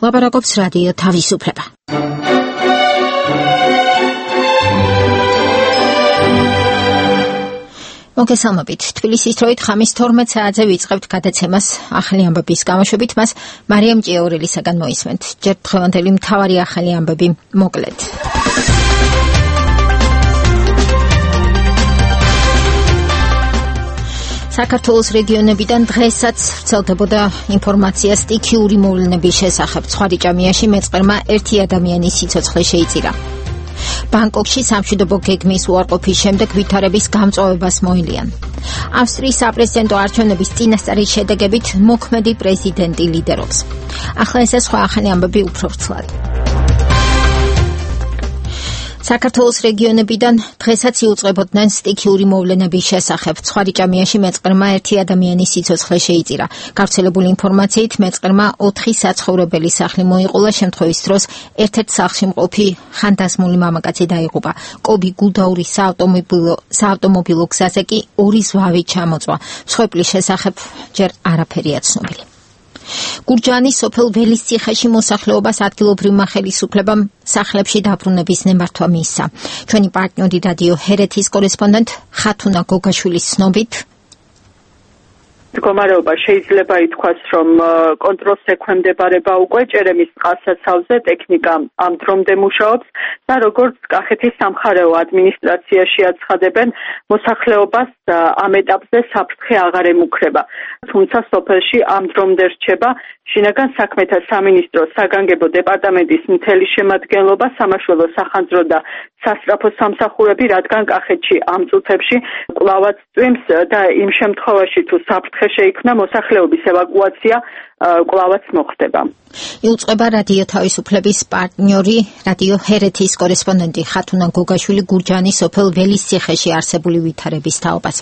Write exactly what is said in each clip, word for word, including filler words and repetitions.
ლაპარაკობს რადიო თავისუფლება. მოგესალმებით. თბილისის დროით ხამის თორმეტ საათზე ვიწყებთ გადაცემას ახალი ამბების გამოშვებით, მას მარიამ ჭიაურელისაგან მოისმენთ. ჯერ დღევანდელი მთავარი ახალი ამბები მოკლედ. საქართველოს რეგიონებიდან დღესაც ვრცელდებოდა ინფორმაცია სტიქიური მოვლენების შესახებ. ცხვარიჭამიაში მეწყერმა ერთი ადამიანის სიცოცხლე შეიწირა. ბანგკოკში სამშვიდობო გეგმის უარყოფის შემდეგ ვითარების გამწვავებას მოელიან. ავსტრიის საპრეზიდენტო არჩევნების წინასწარი შედეგებით მოქმედი პრეზიდენტი ლიდერობს. ახლა ესე სხვა ახალი ამბები უფრო ვრცლად. საქართველოს რეგიონებიდან დღესაც იუწყებოდნენ სტიქიური მოვლენების შესახებ. ცხვარიჭამიაში მეწყერმა ერთი ადამიანის სიცოცხლე შეიწირა. გავრცელებული ინფორმაციით მეწყერმა ოთხი საცხოვრებელი სახლი მოიყოლა. შემთხვევის დროს ერთ-ერთ სახლში მყოფი ხანდაზმული მამაკაცი დაიღუპა. კობი გულდაურის საავტომობილო საავტომობილო გზაზე კი ორი ზვავი ჩამოწვა. მსხვერპლის შესახებ ჯერ არაფერია ცნობილი. გურჯაანის სოფელ ველისციხეში მოსახლეობას ადგილობრივმა ხელისუფლებამ სახლებში დაბრუნების ნემართვა მიისცა. ჩვენი პარტნიორი რადიო ჰერეთის კორესპონდენტ ხათუნა გოგაშვილის ცნობით, მდგომარეობა შეიძლება ითქვას, რომ კონტროლს ექვემდებარება უკვე. ჭერემის წყალსაცავზე ტექნიკა ამ დრომდე მუშაობს და როგორც კახეთის სამხარეო ადმინისტრაციაში აცხადებენ, მოსახლეობას ამ ეტაპზე საფრთხე აღარ ემუქრება. თუმცა სოფელში ამ დრომდე რჩება შინაგან საქმეთა სამინისტროს საგანგებო დეპარტამენტის მთელი შემადგენლობა, სამაშველო სახანძრო და სასწრაფო სამსახურები, რადგან კახეთში ამ წუთებში კვლავაც წვიმს და იმ შემთხვევაში თუ საფრთხე შეიქმნა, მოსახლეობის ევაკუაცია კვლავაც მოხდება. იუწყება რადიო თავისუფლების პარტნიორი რადიო ჰერეთის კორესპონდენტი ხათუნა გოგაშვილი გურჯაანის სოფელ ველისციხეში არსებული ვითარების თაობას.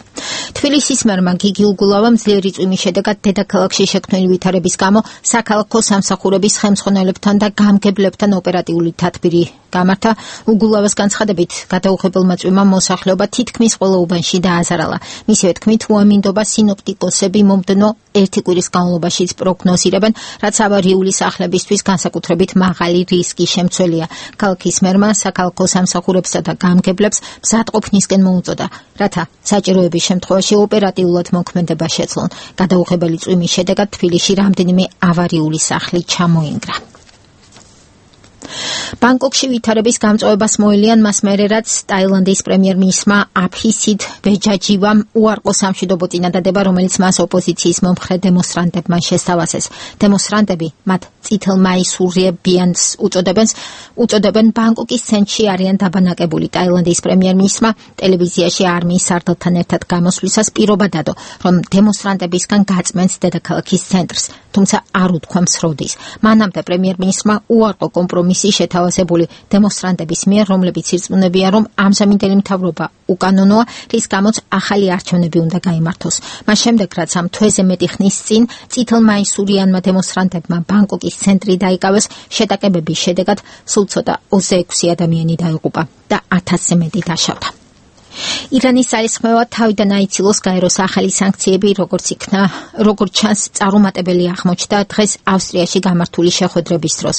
თბილისის მერმა გიგი უგულავამ ძლიერი წვიმის შედეგად დედაქალაქში შექმნილი ვითარების გამო საქალაქო სამსახურების ხელმძღვანელებთან და გამგებლებთან ოპერატიული თათბირი გამართა. უგულავას განცხადებით, გადაუღებელმა წვიმამ მოსახლეობა თითქმის ყველა უბანში დააზარალა. მისივე თქმით, უამინდობა სინოპტიკოსები მომდევნო ერთი კვირის განმავლობაშიც პროგნოზირებენ, რაც ავარიული სახლებისთვის განსაკუთრებით მაღალი რისკი შემცველია. ქალაქის მერმა საქალაქო სამსახურებსა და გამგებლებს მზადყოფნისკენ მოუწოდა, რათა საჭიროების შემთხვევაში ოპერატიულად მოქმედება შეძლონ. გადაუღებელი წვიმის შედეგად თბილისში რამდენიმე ავარიული სახლი ჩამოინგრა. ბანგკოკში ვითარების გამწვავებას მოელიან მას მერე, რაც ტაილანდის პრემიერ-მინისტრმა აფისიდ ვეჯაჯივამ უარყო სამშვიდობო წინადადება, რომელიც მას ოპოზიციის მომხრე დემონსტრანტებმა შესთავაზეს. დემონსტრანტები მათ წითელმაისურებიანს უწოდებენ, უწოდებენ ბანგკოკის ცენტრში არიან დაბანაკებული. ტაილანდის პრემიერ-მინისტრმა ტელევიზიაში არმიის სარდალთან ერთად გამოსვლისას პირობა დადო, რომ დემონსტრანტებისგან გაწმენს დედაქალაქის ცენტრს, თუმცა არ უთქვამს როდის. მანამდე პრემიერ-მინისტრმა უარყო კომპრომისი შეთავაზებული დემონსტრანტების მიერ, რომლებიც ირწმუნებიან, რომ ამჟამინდელი მთავრობა უკანონოა, რის გამოც ახალი არჩევნები უნდა გაიმართოს. მას შემდეგ, რაც ამ თვეზე მეტი ხნის წინ წითელმაისურიანმა დემონსტრანტებმა ბანგკოკის ცენტრი დაიკავეს, შეტაკებების შედეგად სულ ცოტა ოცდაექვსი ადამიანი დაიღუპა და ათასზე მეტი დაშავდა. ირანის ძალისხმევად თავიდან აიცილოს გაეროს ახალი სანქციები, როგორც იქნა, როგორც ჩანს, წარუმატებელი აღმოჩნდა დღეს ავსტრიაში გამართული შეხვედრების დროს.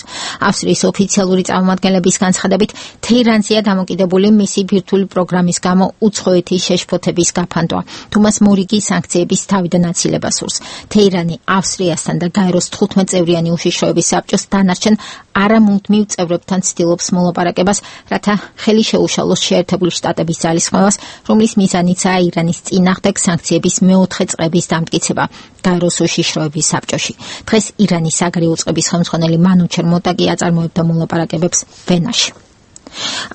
ავსტრიის ოფიციალური წარმომადგენლების განცხადებით, თეირანზეა დამოკიდებული მისი ბირთვული პროგრამის გამო უცხოეთის შეშფოთების გაფანტვა. თუმას მორიგი სანქციების თავიდან აცილება სურს. თეირანი ავსტრიასთან და გაეროს თხუთმეტ წევრიანი უშიშროების საბჭოს დანარჩენ არამუდმივ წევრებთან ცდილობს მოლაპარაკებას, რათა ხელი შეუშალოს შეერთებული შტატების ძალისხმევა, რომლის მიზანიცაა ირანის წინააღმდეგ სანქციების მეოთხე წლების დამტკიცება გაეროს უშიშროების საბჭოში. დღეს ირანის საგარეო წყების ხელმძღვანელი მანუ ჩერმოტაკი აწარმოებდა მოლაპარაკებებს ვენაში.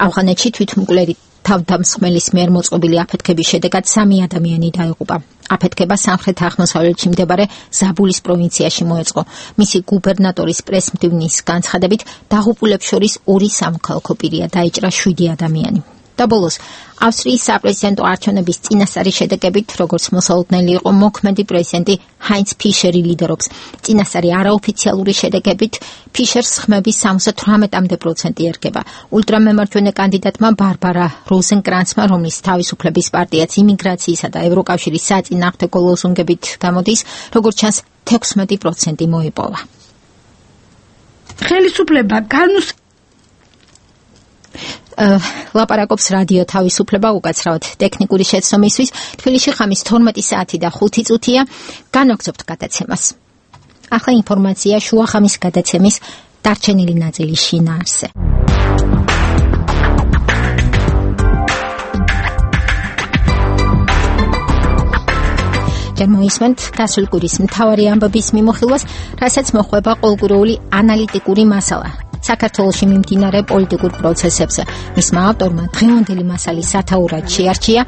ავღანეთში თვითმკვლელი თავდამსხმელის მიერ მოწყობილი აფეთქების შედეგად სამი ადამიანი დაიღუპა. აფეთქება სამხრეთ-აღმოსავლეთში მდებარე ზაბულის პროვინციაში მოეწყო. მისი გუბერნატორის პრესმდივნის განცხადებით, დაღუპულებს შორის ორი სამოქალაქო პირია, დაიჭრა შვიდი ადამიანი. და ბოლოს ავსტრიის საპრეზიდენტო არჩევნების წინასწარი შედეგებით, როგორც მოსალოდნელი იყო, მოქმედი პრეზიდენტი ჰაინც ფიშერი ლიდერობს. წინასწარი არაოფიციალური შედეგებით ფიშერს ხმების სამოცდა თვრამეტ პროცენტი ერგება. ულტრამემარჯვენე კანდიდატმა ბარბარა როზენკრანცმა, რომლის თავისუფლების პარტიაც იმიგრაციისა და ევროკავშირის საწინააღმდეგო ლოზუნგებით გამოდის, როგორც ჩანს, თექვსმეტი პროცენტი მოიპოვა. ხელისუფლება განუს ლაპარაკობს რადიო თავისუფლება უკაცრავად ტექნიკური შეცდომისთვის. თბილისში ხამის თორმეტი საათი და ხუთი წუთია. განვაგრძობთ გადაცემას. ახლა ინფორმაცია შუახამის გადაცემის დარჩენილი ნაწილის შინაარსზე. მოისმენთ გასული კვირის მთავარი ამბების მიმოხილვას, რასაც მოხვება ყოველკვირეული ანალიტიკური მასალა საქართველოში მიმდინარე პოლიტიკურ პროცესებზე. მისმა ავტორმა დღევანდელი მასალის სათაურად შეარჩია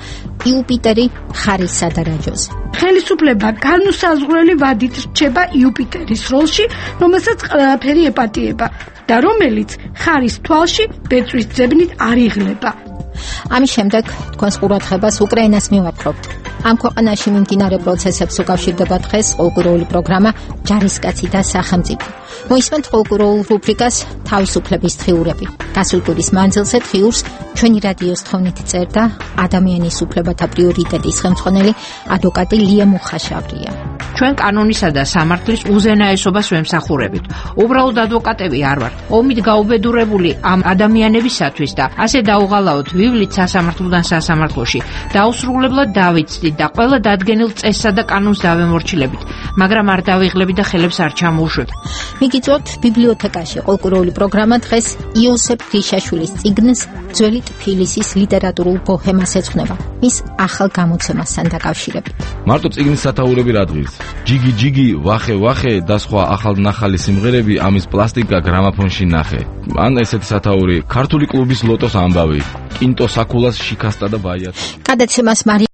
იუპიტერი ხარისსა და რაჯოზე. ხელისუფლება განუსაზღვრელი ვადით რჩება იუპიტერის როლში, რომელსაც ყველაფერი ეპატიება და რომელიც ხარის თვალში ბეწვის ძებნით არ იღლება. ამის შემდეგ თქვენს ყურადღებას უკრაინას მივაპყრობთ. ამ ქვეყანაში მიმდინარე პროცესებს უკავშირდება დღეს ყოველკვირეული პროგრამა ჯარისკაცი და სახელმწიფო. მოისმენთ ყოველკვირეულ რუბრიკას თავისუფლების დღიურები. გასული კვირის მანძილზე დღიურს ჩვენი რადიოს თხოვნით წერდა ადამიანის უფლებათა პრიორიტეტის ხელმძღვანელი ადვოკატი ლია მუხაშავრია. ჩვენ კანონისა და სამართლის უზენაესობას ვემსახურებით. უბრალოდ ადვოკატები არ ვართ. ომით გაუბედურებული ამ ადამიანებისათვის და ასე დაუღალავთ ვივლით სასამართლოდან სასამართლოში. დაუსრულებლად დავიცდით და ყველა დადგენილ წესსა და კანონს დავემორჩილებით, მაგრამ არ დავიღლებით და ხელებს არ ჩამოუშვებ. მიგიწვევთ ბიბლიოთეკაში ყოველკვირეული პროგრამა დღეს იოსებ გრიშაშვილის წიგნს ძველი თბილისის ლიტერატურულ ბოჰემას ეძღვნება მის ახალ გამოცემასთან დაკავშირებით. მარტო წიგნის სათაურები რა დღის? ჯიგი ჯიგი, ვახე ვახე და სხვა ახალნახალი სიმღერები ამის პლასტიკა გრამაფონში ნახე. ან ესეთი სათაური ქართული კლუბის ლოტოს ამბავი, კინტო საკულას შიქასტა და ბაიათი. გადაცემას მარი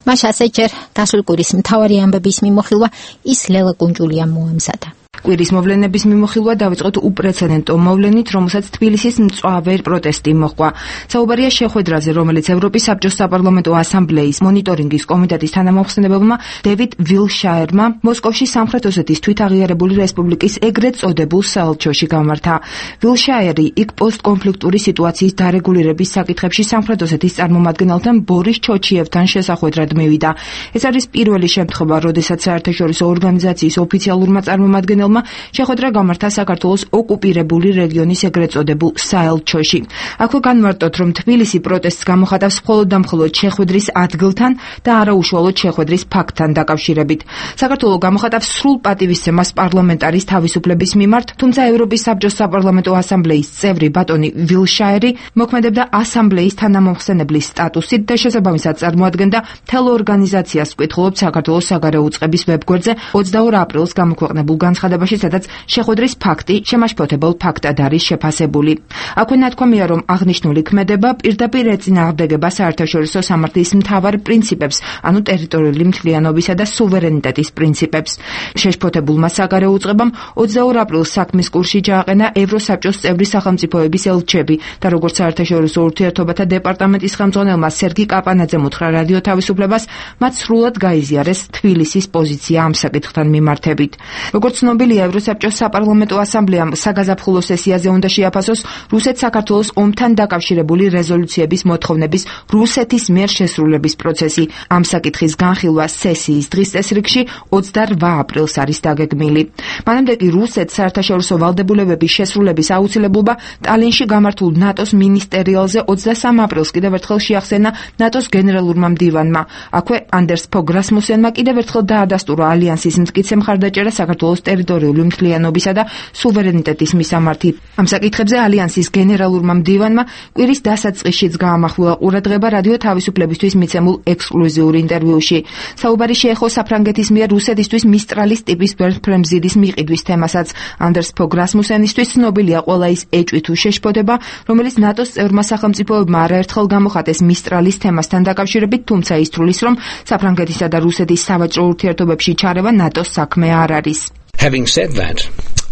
მას ასე ჯერ გასული კვირის მთავარი ამბების მიმოხილვა ის ლელა კუნჯულიამ მოამზადა. კვირის მოვლენების მიმოხილვა დავიწყოთ უპრეცედენტო მოვლენით, რომელსაც თბილისის მწვავე პროტესტი მოჰყვა. საუბარია შეხვედრაზე, რომელიც ევროპის საბჭოს საპარლამენტო ასამბლეის მონიტორინგის კომიტეტის თანამომხსენებელმა დევიდ ვილშაერმა მოსკოვში სამხრეთ ოსეთის თვითაღიარებული რესპუბლიკის ეგრეთ წოდებულ საელჩოში გამართა. ვილშაერი იქ პოსტკონფლიქტური სიტუაციის დარეგულირების საკითხებში სამხრეთ ოსეთის წარმომადგენელთან ბორის ჩოჩიევთან შესახვედრად მივიდა. ეს არის პირველი შემთხვევა, როდესაც საერთაშორისო ორგანიზაციის ოფიციალურმა წარმომადგენელმა შეხვედრა გამართა საქართველოს ოკუპირებული რეგიონის ეგრეთ წოდებულ საელჩოში. აქვე განმარტოთ, რომ თბილისი პროტესტს გამოხატავს მხოლოდ და მხოლოდ შეხვედრის ადგილთან და არა უშუალოდ შეხვედრის ფაქტთან დაკავშირებით. საქართველო გამოხატავს სრულ პატივისცემას პარლამენტარის თავისუფლების მიმართ, თუმცა ევროპის საბჭოს საპარლამენტო ასამბლეის წევრი ბატონი ვილშაერი მოქმედებდა ასამბლეის თანამომხსენებლის სტატუსით და შესაბამისად წარმოადგენდა მთელ ორგანიზაციას, ვკითხულობთ საქართველოს საგარეო უწყების ვებგვერდზე ოცდაორ აპრილს გამოქვეყნებულ განცხადებაში, სადაც შეხვედრის ფაქტი შემაშფოთებელ ფაქტად არის შეფასებული. აქვე ნათქვამია, რომ აღნიშნული ქმედება პირდაპირ ეწინააღმდეგება საერთაშორისო სამართლის მთავარ პრინციპებს, ანუ ტერიტორიული მთლიანობისა და სუვერენიტეტის პრინციპებს. შეშფოთებულმა საგარეო უწყებამ ოცდაორ აპრილს საქმის კურსში ჩააყენა ევროსაბჭოს წევრი სახელმწიფოების ელჩები და როგორც საერთაშორისო ურთიერთობათა დეპარტამენტის ხელმძღვანელმა სერგი კაპანაძემ უთხრა რადიო თავისუფლებას, მათ სრულად გაიზიარეს თბილისის პოზიცია ამ საკითხთან მიმართებით. როგორც ცნობილია, ევროსაბჭოს საპარლამენტო ასამბლეამ საგაზაფხულო სესიაზე უნდა შეაფასოს რუსეთ-საქართველოს ომთან დაკავშირებული რეზოლუციების მოთხოვნების რუსეთის მიერ შესრულების პროცესი. ამ საკითხის განხილვა სესიის დღის წესრიგში ოცდარვა აპრილს არის დაგეგმილი. მანამდე კი რუსეთს საერთაშორისო ვალდებულებების შესრულების აუცილებლობა ტალინში გამართულ ნატოს მინისტერიალზე ოცდასამ აპრილს კიდევ ერთხელ შეახსენა ნატოს გენერალურმა მდივანმა. აქვე ანდერს ფოგ რასმუსენმა კიდევ ერთხელ დაადასტურა ალიანსის მტკიცე მხარდაჭერა საქართველოს ტერიტორიული მთლიანობისა და სუვერენიტეტის მისამართი. ამ საკითხებზე ალიანსის გენერალურმა მდივანმა კვირის დასაწყისშიც გაამახვილა ყურადღება რადიო თავისუფლებისთვის მიცემულ ექსკლუზიურ ინტერვიუში. საუბარი შეეხო საფრანგეთის მიერ რუსეთისთვის მისტრალის ტიპის ვერტფრემზიდის მიყიდვის თემასაც. ანდერს ფოგ რასმუსენისთვის ცნობილია ყველა ის ეჭვი თუ შეშფოთება, რომელიც ნატოს წევრმა სახელმწიფოებმა არაერთხელ გამოხატეს მისტრალის თემასთან დაკავშირებით, თუმცა ისრულის, რომ საფრანგეთისა და რუსეთის სავაჭრო ურთიერთობებში ჩარევა ნატოს საქმე არ არის. Having said that,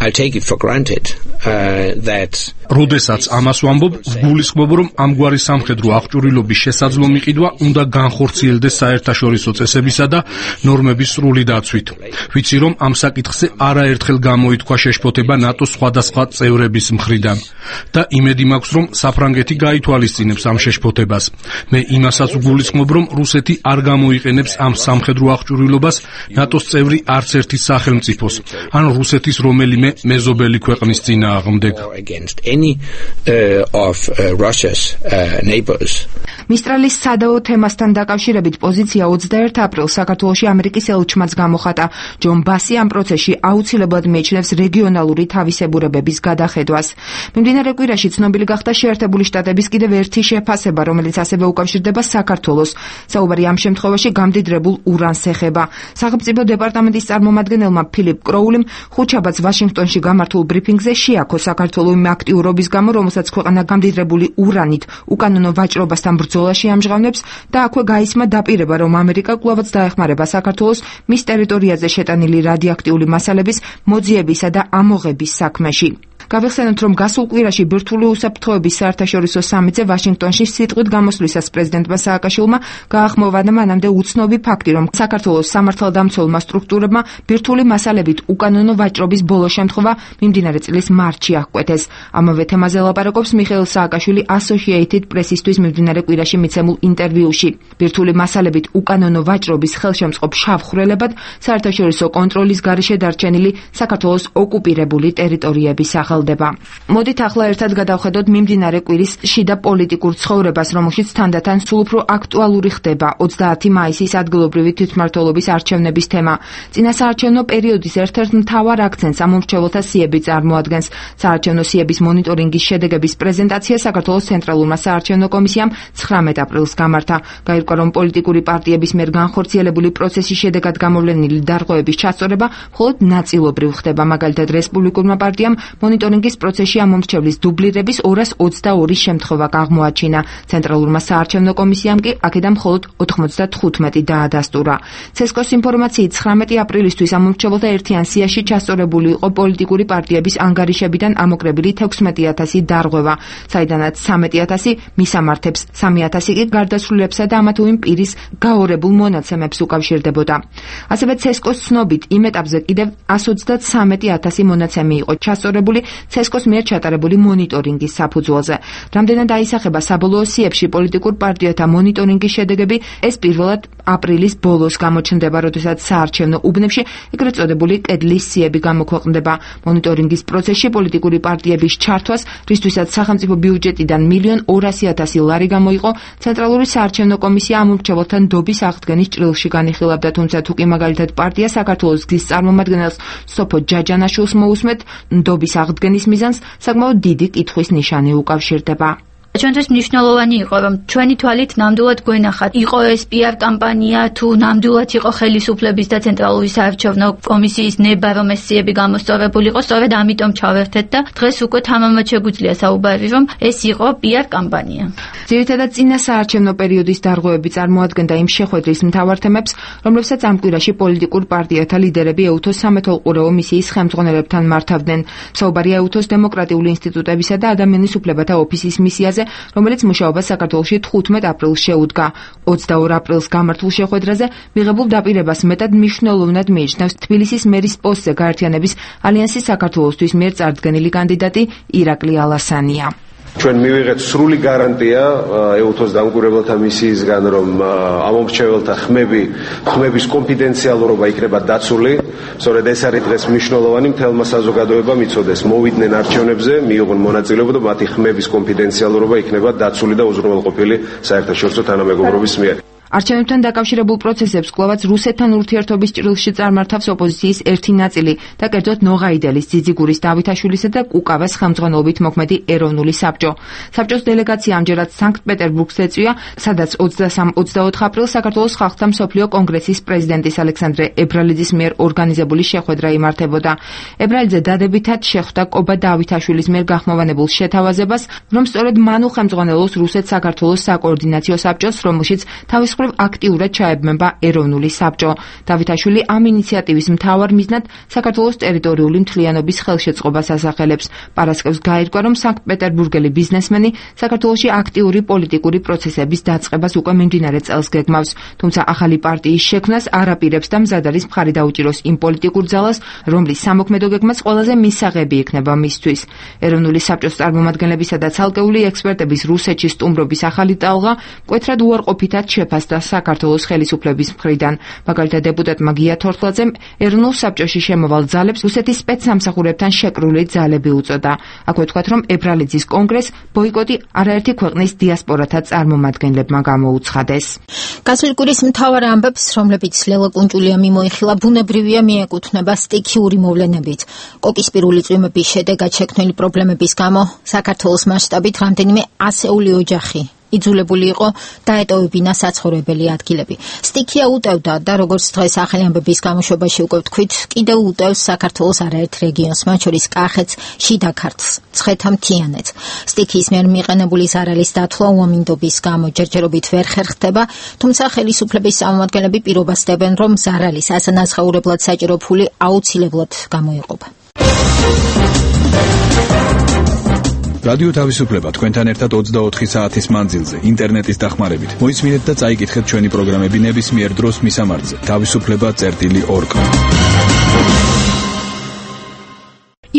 I take it for granted uh, that როდესაც ამას ვამბობ, ვგულისხმობ, რომ ამგვარი სამხედრო აღჭურვილობის შესაძლო მიყიდვა უნდა განხორციელდეს საერთაშორისო წესებისა და ნორმების სრული დაცვით. ვიცი, რომ ამ საკითხზე არაერთხელ გამოითქვა შეშფოთება ნატოს სხვადასხვა წევრების მხრიდან და იმედი მაქვს, რომ საფრანგეთი გაითვალისწინებს ამ შეშფოთებას. მე იმასაც ვგულისხმობ, რომ რუსეთი არ გამოიყენებს ამ სამხედრო აღჭურვილობას ნატოს წევრი არც ერთი სახელმწიფოს ან რუსეთის რომელიმე მეზობელი ქვეყნის წინააღმდეგ. მისტრალის სადაო თემასთან დაკავშირებით პოზიცია ოცდაერთ აპრილს საქართველოში ამერიკის ელჩმაც გამოხატა. ჯონ ბასი ამ პროცესში აუცილებლად მიიჩნევს რეგიონალური თავისებურებების გადახედვას. მიმდინარე კვირაში ცნობილი გახდა შეერთებული შტატების კიდევ ერთი შეფასება, რომელიც ასევე უკავშირდება საქართველოს. საუბარი ამ შემთხვევაში გამდიდრებულ ურანს ეხება. სახელმწიფო დეპარტამენტის წარმომადგენელმა ფილიპ კროულიმ ხუთშაბათს ვაშინგტონში გამართულ ბრიფინგზე შეაქო საქართველოს იმ აქტიურობის გამო, რომელსაც ქვეყანა გამდიდრებული ურანით უკანონო ვაჭრობასთან ბრძოლაში ამჟღავნებს და აქვე გაისმა დაპირება, რომ ამერიკა კვლავაც დაეხმარება საქართველოს მის ტერიტორიაზე შეტანილი რადიოაქტიული მასალების მოძიებისა და ამოღების საქმეში. გავიხსენოთ, რომ გასულ კვირაში ბირთვული უსაფრთხოების საერთაშორისო სამიტზე ვაშინგტონში სიტყვით გამოსვლისას პრეზიდენტმა სააკაშვილმა გაახმოვანა მანამდე უცნობი ფაქტი, რომ საქართველოს სამართალდამცველმა სტრუქტურებმა ბირთვული მასალებით უკანონო ვაჭრობის ბოლო შემთხვევა მიმდინარე წლის მარტში აღკვეთეს. ამავე თემაზე ლაპარაკობს მიხეილ სააკაშვილი Associated Press-ისთვის მიმდინარე კვირაში მიცემულ ინტერვიუში. ბირთვული მასალებით უკანონო ვაჭრობის ხელშემწყობ შავხრელებად საერთაშორისო კონტროლის გარეშე დარჩენილი საქართველოს ოკუპირებული ტერიტორიების ახალ მოდით ახლა ერთად გადავხედოთ მიმდინარე კვირის შიდა პოლიტიკურ ცხოვრებას, რომელშიც თანდათან სულ უფრო აქტუალური ხდება ოცდაათი მაისის ადგილობრივი თვითმმართველობის არჩევნების თემა. წინასაარჩევნო პერიოდის ერთ-ერთ მთავარ აქცენტს ამომრჩეველთა სიები წარმოადგენს. საარჩევნო სიების მონიტორინგის შედეგების პრეზენტაცია საქართველოს ცენტრალურმა საარჩევნო კომისიამ ცხრამეტ აპრილს გამართა. გაირკვა, რომ პოლიტიკური პარტიების მიერ განხორციელებული პროცესის შედეგად გამოვლენილი დარღვევების ჩასწორება მხოლოდ ნაწილობრივ ხდება. მაგალითად, რესპუბლიკურმა პარტიამ მონიტორინგის პროცესში ამომრჩევლის დუბლირების ორას ოცდაორი შემთხვევა აღმოაჩინა. ცენტრალურმა საარჩევნო კომისიამ კი აქედან მხოლოდ ოთხმოცდათხუთმეტი დაადასტურა. ცესკოს ინფორმაციით ცხრამეტი აპრილისთვის ამომრჩეველთა ერთიან სიაში ჩასწორებული იყო პოლიტიკური პარტიების ანგარიშებიდან ამოკრებილი თექვსმეტი ათასი დარღვევა, საიდანაც სამეტი ათასი მისამართებს, სამი ათასი კი გარდაცვლილებსა და ამა თუ იმ პირის გაორებულ მონაცემებს უკავშირდებოდა. ასევე ცესკოს ცნობით იმ ეტაპზე კიდევ ას ოცდათსამეტი ათასი მონაცემი იყო ჩასწორებული ცესკოს მიერ ჩატარებული მონიტორინგის საფუძველზე. რამდენად აისახება საბოლოო სიებში პოლიტიკურ პარტიათა მონიტორინგის შედეგები, ეს პირველად აპრილის ბოლოს გამოჩნდება, როდესაც საარჩევნო უბნებში ეგრეთ წოდებული კედლის სიები გამოქვეყნდება. მონიტორინგის პროცესში პოლიტიკური პარტიების ჩართვას, რისთვისაც სახელმწიფო ბიუჯეტიდან მილიონ ორასი ათასი ლარი გამოიყო, ცენტრალური საარჩევნო კომისია ამომრჩეველთა ნდობის აღდგენის ჭრილში განიხილავდა, თუმცა თუ კი მაგალითად პარტია საქართველოს გზის წარმომადგენელს სოფო ჯაჯანაშვილს მოусმეთ, ნდობის აღდგენის მიზანს საკმაოდ დიდი კითხვის ნიშანი უკავშირდება. ჩვენთვის მნიშვნელოვანი იყო, რომ ჩვენი თვალით ნამდვილად გვენახათ, იყო ეს პიარ კამპანია თუ ნამდვილად იყო ხელისუფლების და ცენტრალური საარჩევნო კომისიის ნება, რომ ეს სიები გამოსწორებული იყო, სწორედ ამიტომ ჩავერთეთ და დღეს უკვე თამამად შეგვიძლია საუბარი, რომ ეს იყო პიარ კამპანია. ძირითადად წინა საარჩევნო პერიოდის დარღვევები წარმოადგენდა იმ შეხვედრის მთავარ თემებს, რომლებსაც ამ კვირაში პოლიტიკურ პარტიათა ლიდერები ეუთოს სამეთვალყურეო მისიის ხელმძღვანელებთან მართავდნენ. საუბარია ეუთოს დემოკრატიული ინსტიტუტებისა და ადამიანის უფლებათა ოფისის მისიაზე, რომელიც მუშაობას საქართველოში თხუთმეტ აპრილს შეუდგა. ოცდაორ აპრილს გამართულ შეხვედრაზე მიღებულ დაპირებას მეტად მნიშვნელოვნად მიიჩნევს თბილისის მერის პოსტზე გაერთიანების ალიანსის საქართველოსთვის მიერ წარდგენილი კანდიდატი ირაკლი ალასანია. ჩვენ მივიღეთ სრული გარანტია ეუთოს დამკვირვებელთა მისიისგან, რომ ამომრჩეველთა ხმები, ხმების კონფიდენციალურობა იქნება დაცული. სწორედ ეს არის დღეს მნიშვნელოვანი, მთელმა საზოგადოებამ იცოდეს, მოვიდნენ არჩევნებზე, მიიღონ მონაწილეობა და მათი ხმების კონფიდენციალურობა იქნება დაცული და უზრუნველყოფილი საერთაშორისო თანამეგობრობის მიერ. არჩევნებთან დაკავშირებულ პროცესებს კვლავაც რუსეთთან ურთიერთობის ჭრილში წარმართავს ოპოზიციის ერთი ნაწილი და კერძოდ ნოღაიდელის, ძიძიგურის, დავითაშვილისა და კუკავას ხელმძღვანელობით მოქმედი ეროვნული საბჭო. საბჭოს დელეგაცია ამჯერად სანქტ-პეტერბურგს ეწვია, სადაც ოცდასამ ოცდაოთხ აპრილს საქართველოს ხალხთა მსოფლიო კონგრესის პრეზიდენტის ალექსანდრე ებრალიძის მიერ ორგანიზებული შეხვედრა იმართებოდა. ებრალიძე დადებითად შეხვდა კობა დავითაშვილის მიერ გახმოვანებულ შეთავაზებას, რომ სწორედ მან უხელმძღვანელოს რუსეთ-საქართველოს საკოორდინაციო საბჭოს, რომელშიც თავის მხრივ აქტიურად ჩაებმება ეროვნული საბჭო. დავითაშვილი ამ ინიციატივის მთავარ მიზნად საქართველოს ტერიტორიული მთლიანობის ხელშეწყობას ასახელებს. პარასკევს გაირკვა, რომ სანქტ-პეტერბურგელი ბიზნესმენი საქართველოში აქტიური პოლიტიკური პროცესების დაწყებას უკვე მიმდინარე წელს გეგმავს. თუმცა ახალი პარტიის შექმნას არ აპირებს და მზად არის მხარი დაუჭიროს იმ პოლიტიკურ ძალას, რომლის სამოქმედო გეგმაც ყველაზე მისაღები იქნება მისთვის. ეროვნული საბჭოს წარმომადგენლებისა და ცალკეული ექსპერტების რუსეთში სტუმრობის ახალი ტალღა მკვეთრად უარყოფითად შეფასდა საქართველოს ხელისუფლების მხრიდან. მაგალითად, დეპუტატმა გია თორთლაძემ ეროვნულ საბჭოში შემოვალ ძალებს რუსეთის სპეცსამსახურებთან შეკრული ძალები უწოდა. აქვე თქვათ, რომ ებრალიძის კონგრესს ბოიკოტი არაერთი ქვეყნის დიასპორათა წარმომადგენლებმა გამოუცხადეს. გასული კვირის მთავარ ამბებს, რომლებიც ლელა კუნჭულია მიმოიხილა, ბუნებრივია მიეკუთვნება სტიქიური მოვლენებით. კოკისპირული წვიმების შედეგად შექმნილი პრობლემების გამო საქართველოს მასშტაბით რამდენიმე ასეული ოჯახი იძულებული იყო დაეტოვებინა საცხოვრებელი ადგილები. სტიქია უტევდა და როგორც დღეს ახალი ამბების გამოშვებაში უკვე ვთქვით, კიდევ უტევს საქართველოს არაერთ რეგიონს, მათ შორის კახეთს, შიდა ქართლს, ცხეთა-მთიანეთს. სტიქიის მიერ მიყენებული ზარალის დათვლა უამინდობის გამო ჯერჯერობით ვერ ხერხდება, თუმცა ხელისუფლების წარმომადგენლები პირობას დებენ, რომ ზარალის ასანაზღაურებლად საჭირო ფული აუცილებლად გამოეყოფა. რადიო თავისუფლება თქვენთან ერთად ოცდაოთხი საათის მანძილზე ინტერნეტის დახმარებით. მოისმინეთ და წაიკითხეთ ჩვენი პროგრამები ნებისმიერ დროს მისამართზე თავისუფლება წერტილი ორგ.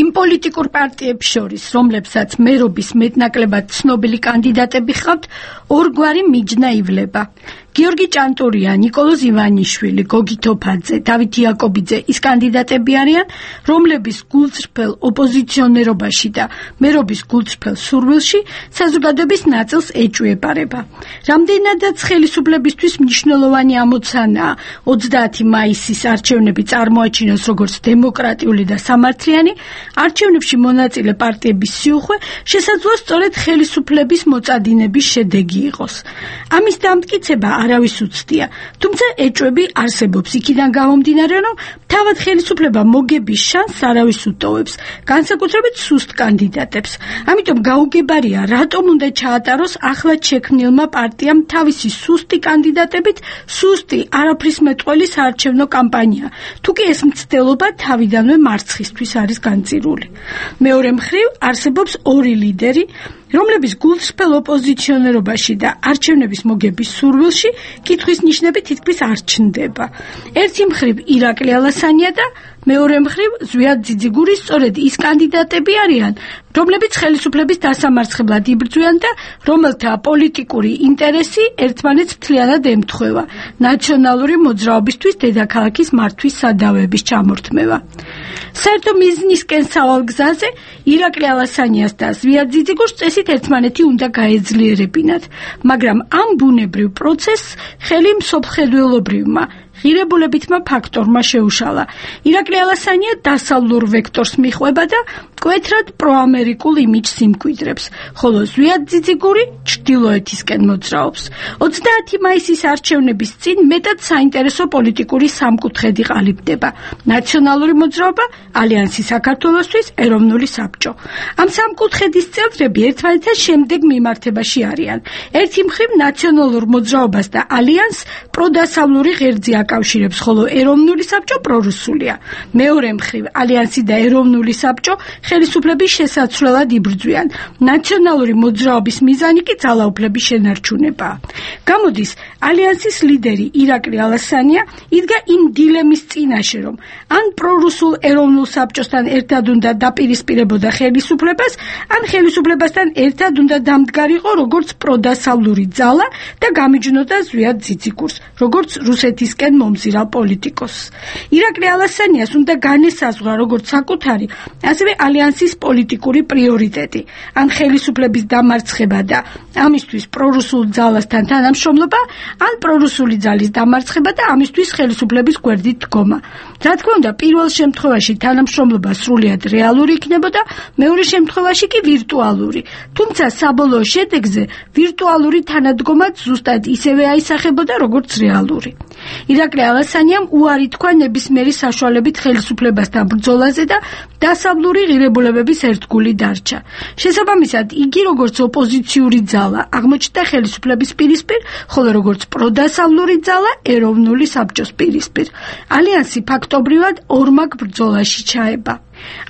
იმ პოლიტიკურ პარტიებს შორის, რომლებსაც მერობის მეტნაკლებად ცნობილი კანდიდატები ჰყავთ, ორგვარი მიჯნა ივლება. გიორგი ჭანტურია, ნიკოლოზ ივანიშვილი, გოგი თოფაძე, დავით იაკობიძე ის კანდიდატები არიან, რომლების გულწრფელ ოპოზიციონერობაში და მერობის გულწრფელ სურვილში საზოგადოების ნაწილს ეჭვიებარება. რამდენადაც ხელისუფლებისთვის მნიშვნელოვანი ამოცანაა ოცდაათი მაისის არჩევნები წარმოაჩინოს როგორც დემოკრატიული და სამართლიანი, არჩევნებში მონაწილე პარტიების სიუხვე შესაძლოა სწორედ ხელისუფლების მოწადინების შედეგი იყოს. ამის დამტკიცება არავის უცდია, თუმცა ეჭვები არსებობს იქიდან გამომდინარე, რომ თავად ხელისუფლება მოგების შანსს არავის უტოვებს, განსაკუთრებით სუსტ კანდიდატებს. ამიტომ გაუგებარია, რატომ უნდა ჩაატაროს ახლად შექმნილმა პარტიამ თავისი სუსტი კანდიდატებით სუსტი არაფრის მეტყველი საარჩევნო კამპანია, თუკი ეს მცდელობა თავიდანვე მარცხისთვის არის განწირული. მეორე მხრივ არსებობს ორი ლიდერი, რომლების გულწრფელ ოპოზიციონერობაში და არჩევნების მოგების სურვილში კითხვის ნიშნები თითქმის არ ჩნდება. ერთი მხრივ ირაკლი ალასანია და მეორე მხრივ ზვიად ძიძიგური სწორედ ის კანდიდატები არიან, რომლებიც ხელისუფლების დასამარცხებლად იბრძვიან და რომელთა პოლიტიკური ინტერესი ერთმანეთს მთლიანად ემთხვევა, ნაციონალური მოძრაობისთვის დედაქალაქის მართვის სადავეების ჩამორთმევა. საერთო მიზნისკენ სავალ გზაზე ირაკლი ალასანიას და ზვიად ძიძიგურს წესით ერთმანეთი უნდა გაეძლიერებინათ, მაგრამ ამ ბუნებრივ პროცესს ხელი მსოფლმხედველობრივმა ღირებულებითმა ფაქტორმა შეუშალა. ირაკლი ალასანია დასავლურ ვექტორს მიხვება და მკვეთრად პროამერიკულ იმიჯს იმკვიდრებს, ხოლო ზვიად ძიძიგური ჩრდილოეთისკენ მოძრაობს. ოცდაათი მაისის არჩევნების წინ მეტად საინტერესო პოლიტიკური სამკუთხედი ყალიბდება: ნაციონალური მოძრაობა, ალიანსი საქართველოსთვის, ეროვნული საბჭო. ამ სამკუთხედის წევრები ერთმანეთთან შემდეგ მიმართებაში არიან. ერთი მხრივ ნაციონალურ მოძრაობას და ალიანსს პროდასავლური ღერძი აკავშირებს, ხოლო ეროვნული საბჭო პრორუსულია. მეორე მხრივ ალიანსი და ეროვნული საბჭო ხელისუფლების შესაცვლელად იბრძვიან. ნაციონალური მოძრაობის მიზანი კი ძალაუფლების შენარჩუნებაა. გამოდის, ალიანსის ლიდერი ირაკლი ალასანია იდგა იმ დილემის წინაშე, რომ ან პრორუსულ ეროვნულ საბჭოსთან ერთად უნდა დაპირისპირებოდა ხელისუფლებას, ან ხელისუფლებასთან ერთად უნდა დამდგარიყო როგორც პროდასავლური ძალა და გამიჯნოდა ზვიად ძიძიგურს, როგორც რუსეთისკენ მომზირალ პოლიტიკოსს. ირაკლი ალასანიას უნდა განესაზღვრა როგორც საკუთარი, ასევე ალიანსის პოლიტიკური პრიორიტეტი, ან ხელისუფლების დამარცხება და ამისთვის პრორუსულ ძალასთან თანამშრომლობა, ან პრორუსული ძალის დამარცხება და ამისთვის ხელისუფლების გვერდით დგომა. რა თქმა უნდა, პირველ შემთხვევაში თანამშრომლობა სრულიად რეალური იქნებოდა, მეორე შემთხვევაში კი ვირტუალური. თუმცა საბოლოო შედეგზე ვირტუალური თანადგომაც ზუსტად ისევე აისახებოდა, როგორც რეალური. ირაკლი ალასანიამ უარი თქვა ნებისმიერი საშუალებით ხელისუფლებასთან ბრძოლაზე და დასავლური ღირებულებების ერთგული დარჩა. შესაბამისად, იგი როგორც ოპოზიციური ძალა აღმოჩნდა ხელისუფლების პირისპირ, ხოლო როგორც პროდასავლური ძალა ეროვნული საბჭოს პირისპირ. ალიანსი ფაქტობრივად ორმაგ ბრძოლაში ჩაება.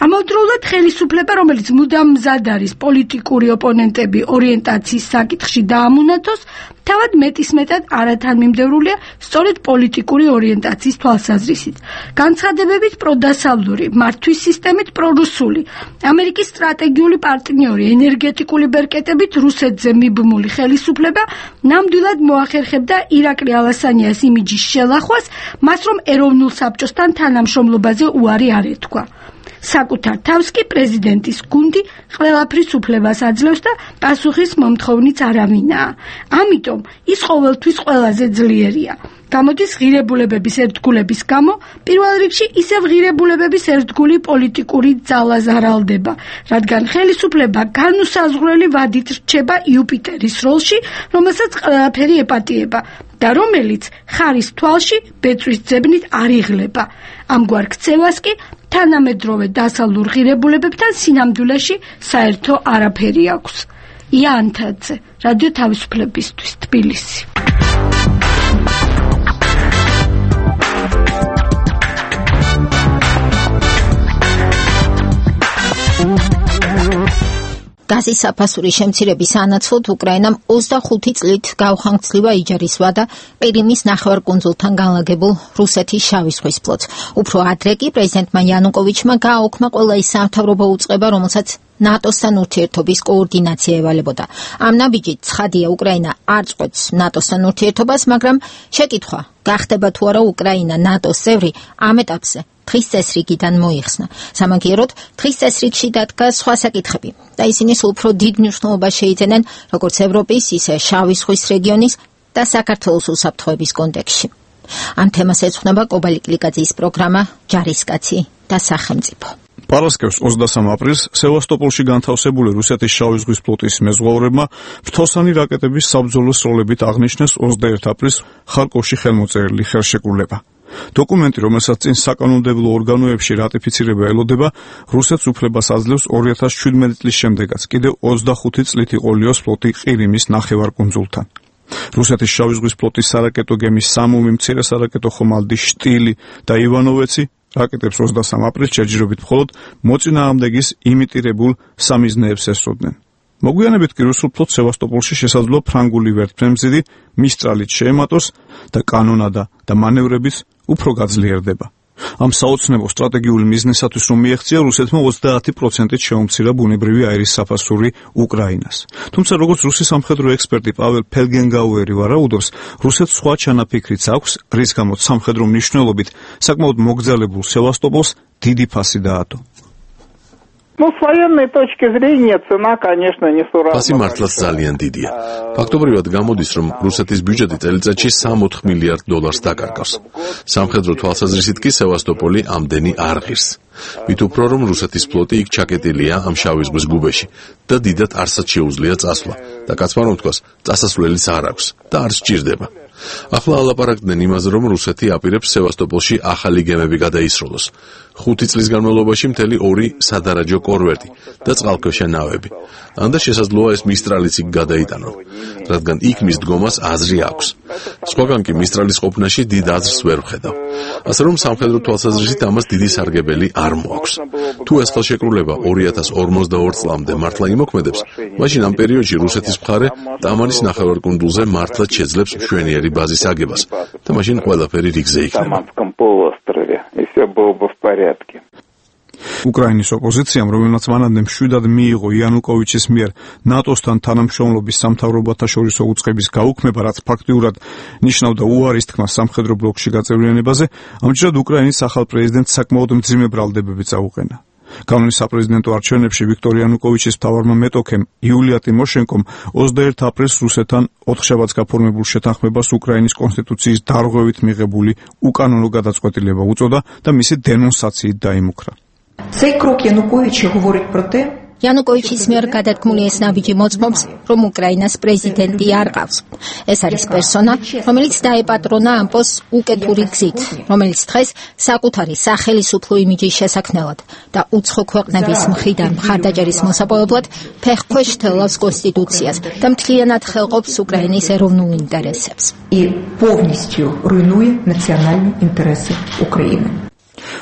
ამავდროულად ხელისუფლება, რომელიც მუდამ მზად არის პოლიტიკური ოპონენტები ორიენტაციის საკითხში დაამონათოს, თავად მეტისმეტად არათანმიმდევრულია სწორედ პოლიტიკური ორიენტაციის თვალსაზრისით. განცხადებებით პროდასავლური, მართვის სისტემით პრორუსული, ამერიკის სტრატეგიული პარტნიორი, ენერგეტიკული ბერკეტებით რუსეთზე მიბმული ხელისუფლება ნამდვილად მოახერხებდა ირაკლი ალასანიას იმიჯის შელახვას, მას რომ ეროვნულ საბჭოსთან თანამშრომლობაზე უარი არ ეთქვა. საკუთარ თავს კი პრეზიდენტის გუნდი ყველაფრის უფლებას აძლევს და პასუხის მომთხოვნიც არავინაა. ამიტომ ის ყოველთვის ყველაზე ძლიერია. გამოდის ღირებულებების ერთგულების გამო, პირველ რიგში ისევ ღირებულებების ერთგული პოლიტიკური ძალა ზარალდება, რადგან ხელისუფლება განუსაზღვრელი ვადით რჩება იუპიტერის როლში, რომელსაც ყველაფერი ეპატიება და რომელიც ხარის თვალში ბეწვის ძებნით არ იღლება. ამგვარ ქცევას კი თანამედროვე დასავლურ ღირებულებებთან სინამდვილეში საერთო არაფერი აქვს. ია ანთაძე, რადიო თავისუფლებისთვის, თბილისი. გაზის საფასურის შემცირების სანაცვლოდ უკრაინამ ოცდახუთი წლით გაუხანგცლივა იჯარის ვადა ყირიმის ნახევარკუნძულთან განლაგებულ რუსეთის შავი ზღვის ფლოტს. უფრო ადრე კი პრეზიდენტმა იანუკოვიჩმა გააუქმა ყველა ის სამთავრობო უწყება, რომელსაც ნატოსთან ურთიერთობის კოორდინაცია ევალებოდა. ამ ნაბიჯით ცხადია, უკრაინა არ წყვეტს ნატოსთან ურთიერთობას, მაგრამ შეკითხვა, გახდება თუ არა უკრაინა ნატოს წევრი, ამ ეტაპზე თხის წესრიგიდან მოიხსნა. სამაგიეროდ, თხის წესრიგში დადგა სხვა საკითხები და ისინი სულ უფრო დიდ მნიშვნელობას შეიძენენ როგორც ევროპის, ისე შავი ზღვის რეგიონის და საქართველოს უსაფრთხოების კონტექსტში. ამ თემას ეძღვნება კობალი კლიკაძის პროგრამა ჯარისკაცი და სახელმწიფო. პარასკევს ოცდასამ აპრილს სევასტოპოლში განთავსებული რუსეთის შავი ზღვის ფლოტის მეზღვაურებმა ფრთოსანი რაკეტების საბრძოლო სროლებით აღნიშნეს ოცდაერთი აპრილს ხარკოვში ხელმოწერილი ხელშეკრულება. დოკუმენტი, რომელსაც წინ საკანონმდებლო ორგანოებში რატიფიცირება ელოდება, რუსეთს უფლებას აძლევს ორი ათას შვიდმეტი წლის შემდეგაც კიდევ ოცდახუთი წლით იყოლიოს ფლოტი ყირიმის ნახევარკუნძულთან. რუსეთის შავი ზღვის ფლოტის სარაკეტო გემის სამომი მცირე სარაკეტო ხომალდი შტილი და ივანოვეცი რაკეტებს ოცდასამ აპრილს ჯერჯერობით მხოლოდ მოწინააღმდეგის იმიტირებულ სამიზნეებს ესროდნენ. მოგვიანებით კი რუსულ ფლოტს სევასტოპოლში შესაძლოა ფრანგული ვერტმფრენმზიდი მისტრალით შეემატოს და კანონადა და მანევრებიც უფრო გაძლიერდება. ამ საოცნებო სტრატეგიული მიზნისათვის რომ მიეღწია რუსეთმა ოცდაათი პროცენტით შეუმცირა ბუნებრივი აირის საფასური უკრაინას. თუმცა როგორც რუსი სამხედრო ექსპერტი პაվել ფელგენგაუერი ვარაუდობს, რუსეთს სხვა ჩანაფიქრიც აქვს, რის გამოც სამხედრო მნიშვნელობით საკმაოდ მოგზაურებულ სევასტოპოლს დიდი ფასი დაადო. Ну, с военной точки зрения цена, конечно, несуразна. ფასი მართლაც ძალიან დიდია. ფაქტობრივად გამოდის, რომ რუსეთის ბიუჯეტი წელიწადში სამოთხ მილიარდ დოლარს დაკარგავს. სამხედრო თვალსაზრისით კი სევასტოპოლი ამდენი არ ღირს. მით უფრო რომ რუსეთის ფლოტი იქ ჩაკეტილია ამ შავი ზღვის გუბეში და დიდად არსად შეუძლია წასვლა და კაცმა რომ თქვას, წასასვლელიც არ აქვს და არ სჭირდება. ახლა ალაპარაკდნენ იმაზე, რომ რუსეთი აპირებს სევასტოპოლში ახალი გემები გადაისროლოს. ხუთი წლის განმავლობაში მთელი ორი სადარაჯო კორვეტი და წყალქვეშა ნავები. ანდა შესაძლოა ეს მისტრალიც იქ გადაიტანონ, რადგან იქ მის დგომას აზრი აქვს. სხვაგან კი მისტრალის ყოფნაში დიდ აზრს ვერ ვხედავ. ასე რომ სამხედრო თვალსაზრისით ამას დიდი სარგებელი არ მოაქვს. თუ ეს ხელშეკრულება ორი ათას ორმოცდაორ წლამდე მართლა იმოქმედებს, მაშინ ამ პერიოდში რუსეთის მხარე ტამანის ნახევარკუნძულზე მართლაც შეძლებს მშვენიერი ბაზის აგებას და მაშინ ყველაფერი რიგზე იქნება. უკრაინის ოპოზიციამ, რომელმაც მანამდე მშვიდად მიიღო იანუკოვიჩის მიერ ნატოსთან თანამშრომლობის სამთავრობათაშორისო უწყების გაუქმება, რაც ფაქტიურად ნიშნავდა უარის თქმას სამხედრო ბლოკში გაწევრიანებაზე, ამჯერად უკრაინის ახალ პრეზიდენტს საკმაოდ მძიმე ბრალდებები წაუყენა. კანონის საპრეზიდენტო არჩევნებში ვიქტორ იანუკოვიჩის მთავარმა მეტოქემ იულია ტიმოშენკომ ოცდაერთი აპრილს რუსეთთან ოთხშაბათს გაფორმებულ შეთანხმებას უკრაინის კონსტიტუციის დარღვევით მიღებული უკანონო გადაწყვეტილება უწოდა და მისი დენონსაციით დაიმუქრა. Цей крок Януковича говорить про те, იანუკოვიჩის მიერ გადადგმული ეს ნაბიჯი მოწმობს, რომ უკრაინას პრეზიდენტი არ ყავს. ეს არის პერსონა, რომელიც დაეპატრონა ამ პოსტს უკეთური გზით, რომელიც დღეს საკუთარი სახელისუფლო იმიჯის შესაქმნელად და უცხო ქვეყნების მხრიდან მხარდაჭერის მოსაპოვებლად ფეხქვეშ თელავს კონსტიტუციას და მთლიანად ხელყოფს უკრაინის ეროვნულ ინტერესებს. И полностью руйнует национальные интересы Украины.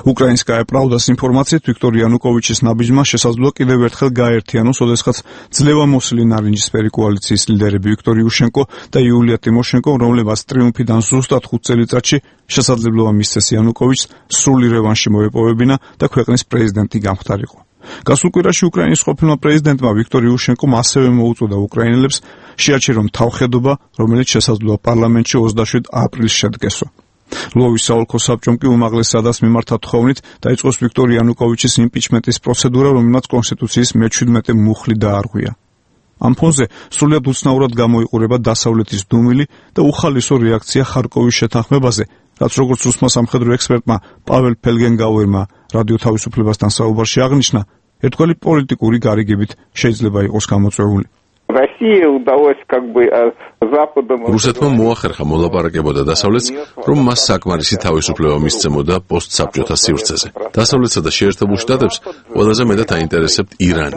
Украинская правда-с информацией Виктор Януковичის ნაბიჯმა შესაძლოა კიდევ ერთხელ გაერთიანოს, ოდესღაც ძლევამოსილი ნარინჯისფერი კოალიციის ლიდერები ვიქტორ იუშენკო და იულია ტიმოშენკო, რომლებაც ტრიუმფიდან ზუსტად ხუთ წელიწადში შესაძლებლობა მისცეს იანუკოვიჩს სრული რევანში მოეპოვებინა და ქვეყნის პრეზიდენტი გამხდარიყო. გასულ კვირაში უკრაინის ყოფილმა პრეზიდენტმა ვიქტორ იუშენკომ ასევე მოუწოდა უკრაინელებს შეაჩერონ თავხედობა, რომელიც შესაძლოა პარლამენტში ოცდაშვიდ აპრილს შედგესო. ლვოვის საოლქო საბჭომ კი უმაღლეს სადას მიმართა თხოვნით დაიწყოს ვიქტორ იანუკოვიჩის იმპიჩმენტის პროცედურა, რომელმაც კონსტიტუციის მეჩვიდმეტე მუხლი დაარღვია. ამ ფონზე სრულიად უცნაურად გამოიყურება დასავლეთის დუმილი და უხალისო რეაქცია ხარკოვის შეთანხმებაზე, რაც როგორც რუსმა სამხედრო ექსპერტმა პაվել ფელგენგაუერმა რადიო თავისუფლებასთან საუბარში აღნიშნა, ერთგვარი პოლიტიკური გარიგებით შეიძლება იყოს გამოწვეული. რუსეთმა მოახერხა მოლაპარაკებოდა დასავლეთს, რომ მას საკმარისი თავისუფლება მისცემოდა პოსტსაბჭოთა სივრცეზე. დასავლეთსა და შეერთებულ შტატებს ყველაზე მეტად აინტერესებთ ირანი.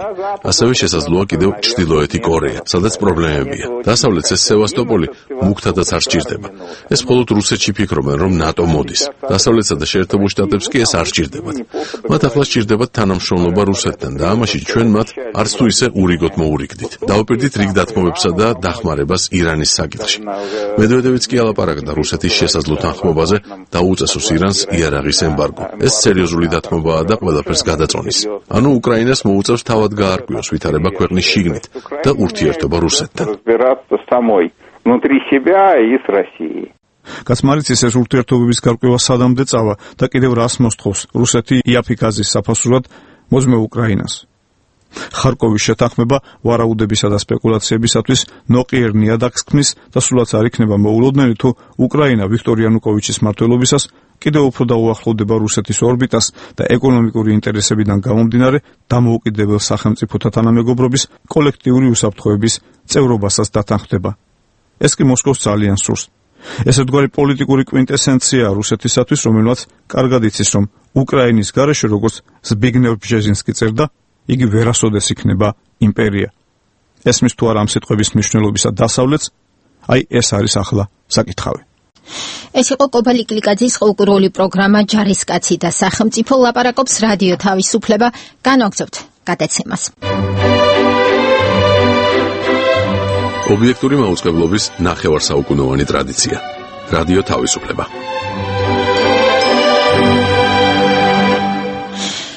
ასევე შესაძლოა კიდევ ჩრდილოეთი კორეა, სადაც პრობლემებია. დასავლეთს ეს სევასტოპოლი მუქთადაც არ სჭირდება. ეს მხოლოდ რუსეთში ფიქრობენ, რომ ნატო მოდის. დასავლეთსა და შეერთებულ შტატებს კი ეს არ სჭირდებათ. მათ ახლა სჭირდებათ თანამშრომლობა რუსეთთან და ამაში ჩვენ მათ არც თუ ისე ურიგოთ მოურიგდით. დავუპირდით რიგ დათმობებსა და დახმარებას ირანის საკითხში. მედვედევიც კი ალაპარაკდა რუსეთის შესაძლო თანხმობაზე და უწესოს ირანს იარაღის ემბარგო. ეს სერიოზული დათმობაა და ყველაფერს გადაწონის. ანუ უკრაინას მოუწევს თავად გაარკვიოს ვითარება ქვეყნის შიგნით და ურთიერთობა რუსეთთან. კაცმარიცის ეს ურთიერთობების გარკვევა სადამდე წავა და კიდევ რას მოსთხოვს რუსეთი იაფიქაზის საფასურად მოძმე უკრაინას. ხარკოვის შეთანხმება ვარაუდებისა და სპეკულაციებისათვის ნოყიერ ნიადაგს ქმნის და სულაც არ იქნება მოულოდნელი, თუ უკრაინა ვიქტორ იანუკოვიჩის მმართველობისას კიდევ უფრო დაუახლოვდება რუსეთის ორბიტას და ეკონომიკური ინტერესებიდან გამომდინარე დამოუკიდებელ სახელმწიფოთა თანამეგობრობის კოლექტიური უსაფრთხოების წევრობასაც დათანხმდება. ეს კი მოსკოვს ძალიან სურს. ესეთგვარი პოლიტიკური კვინტესენცია რუსეთისათვის, რომელმაც კარგად იცის, რომ უკრაინის გარეშე, როგორც ზბიგნევ ბჟეზინსკი წერდა, იგი ვერასოდეს იქნება იმპერია. ესმის თუ არა ამ სიტყვების მნიშვნელობისა დასავლეთს, აი ეს არის ახლა საკითხავი. ეს იყო კობალი კლიკაძის ყურული პროგრამა ჯარისკაცი და სახელმწიფო ლაპარაკობს რადიო თავისუფლება. განვაგრძობთ გადაცემას. ობიექტური მაუწყებლობის ნახევარსაუკუნოვანი ტრადიცია. რადიო თავისუფლება.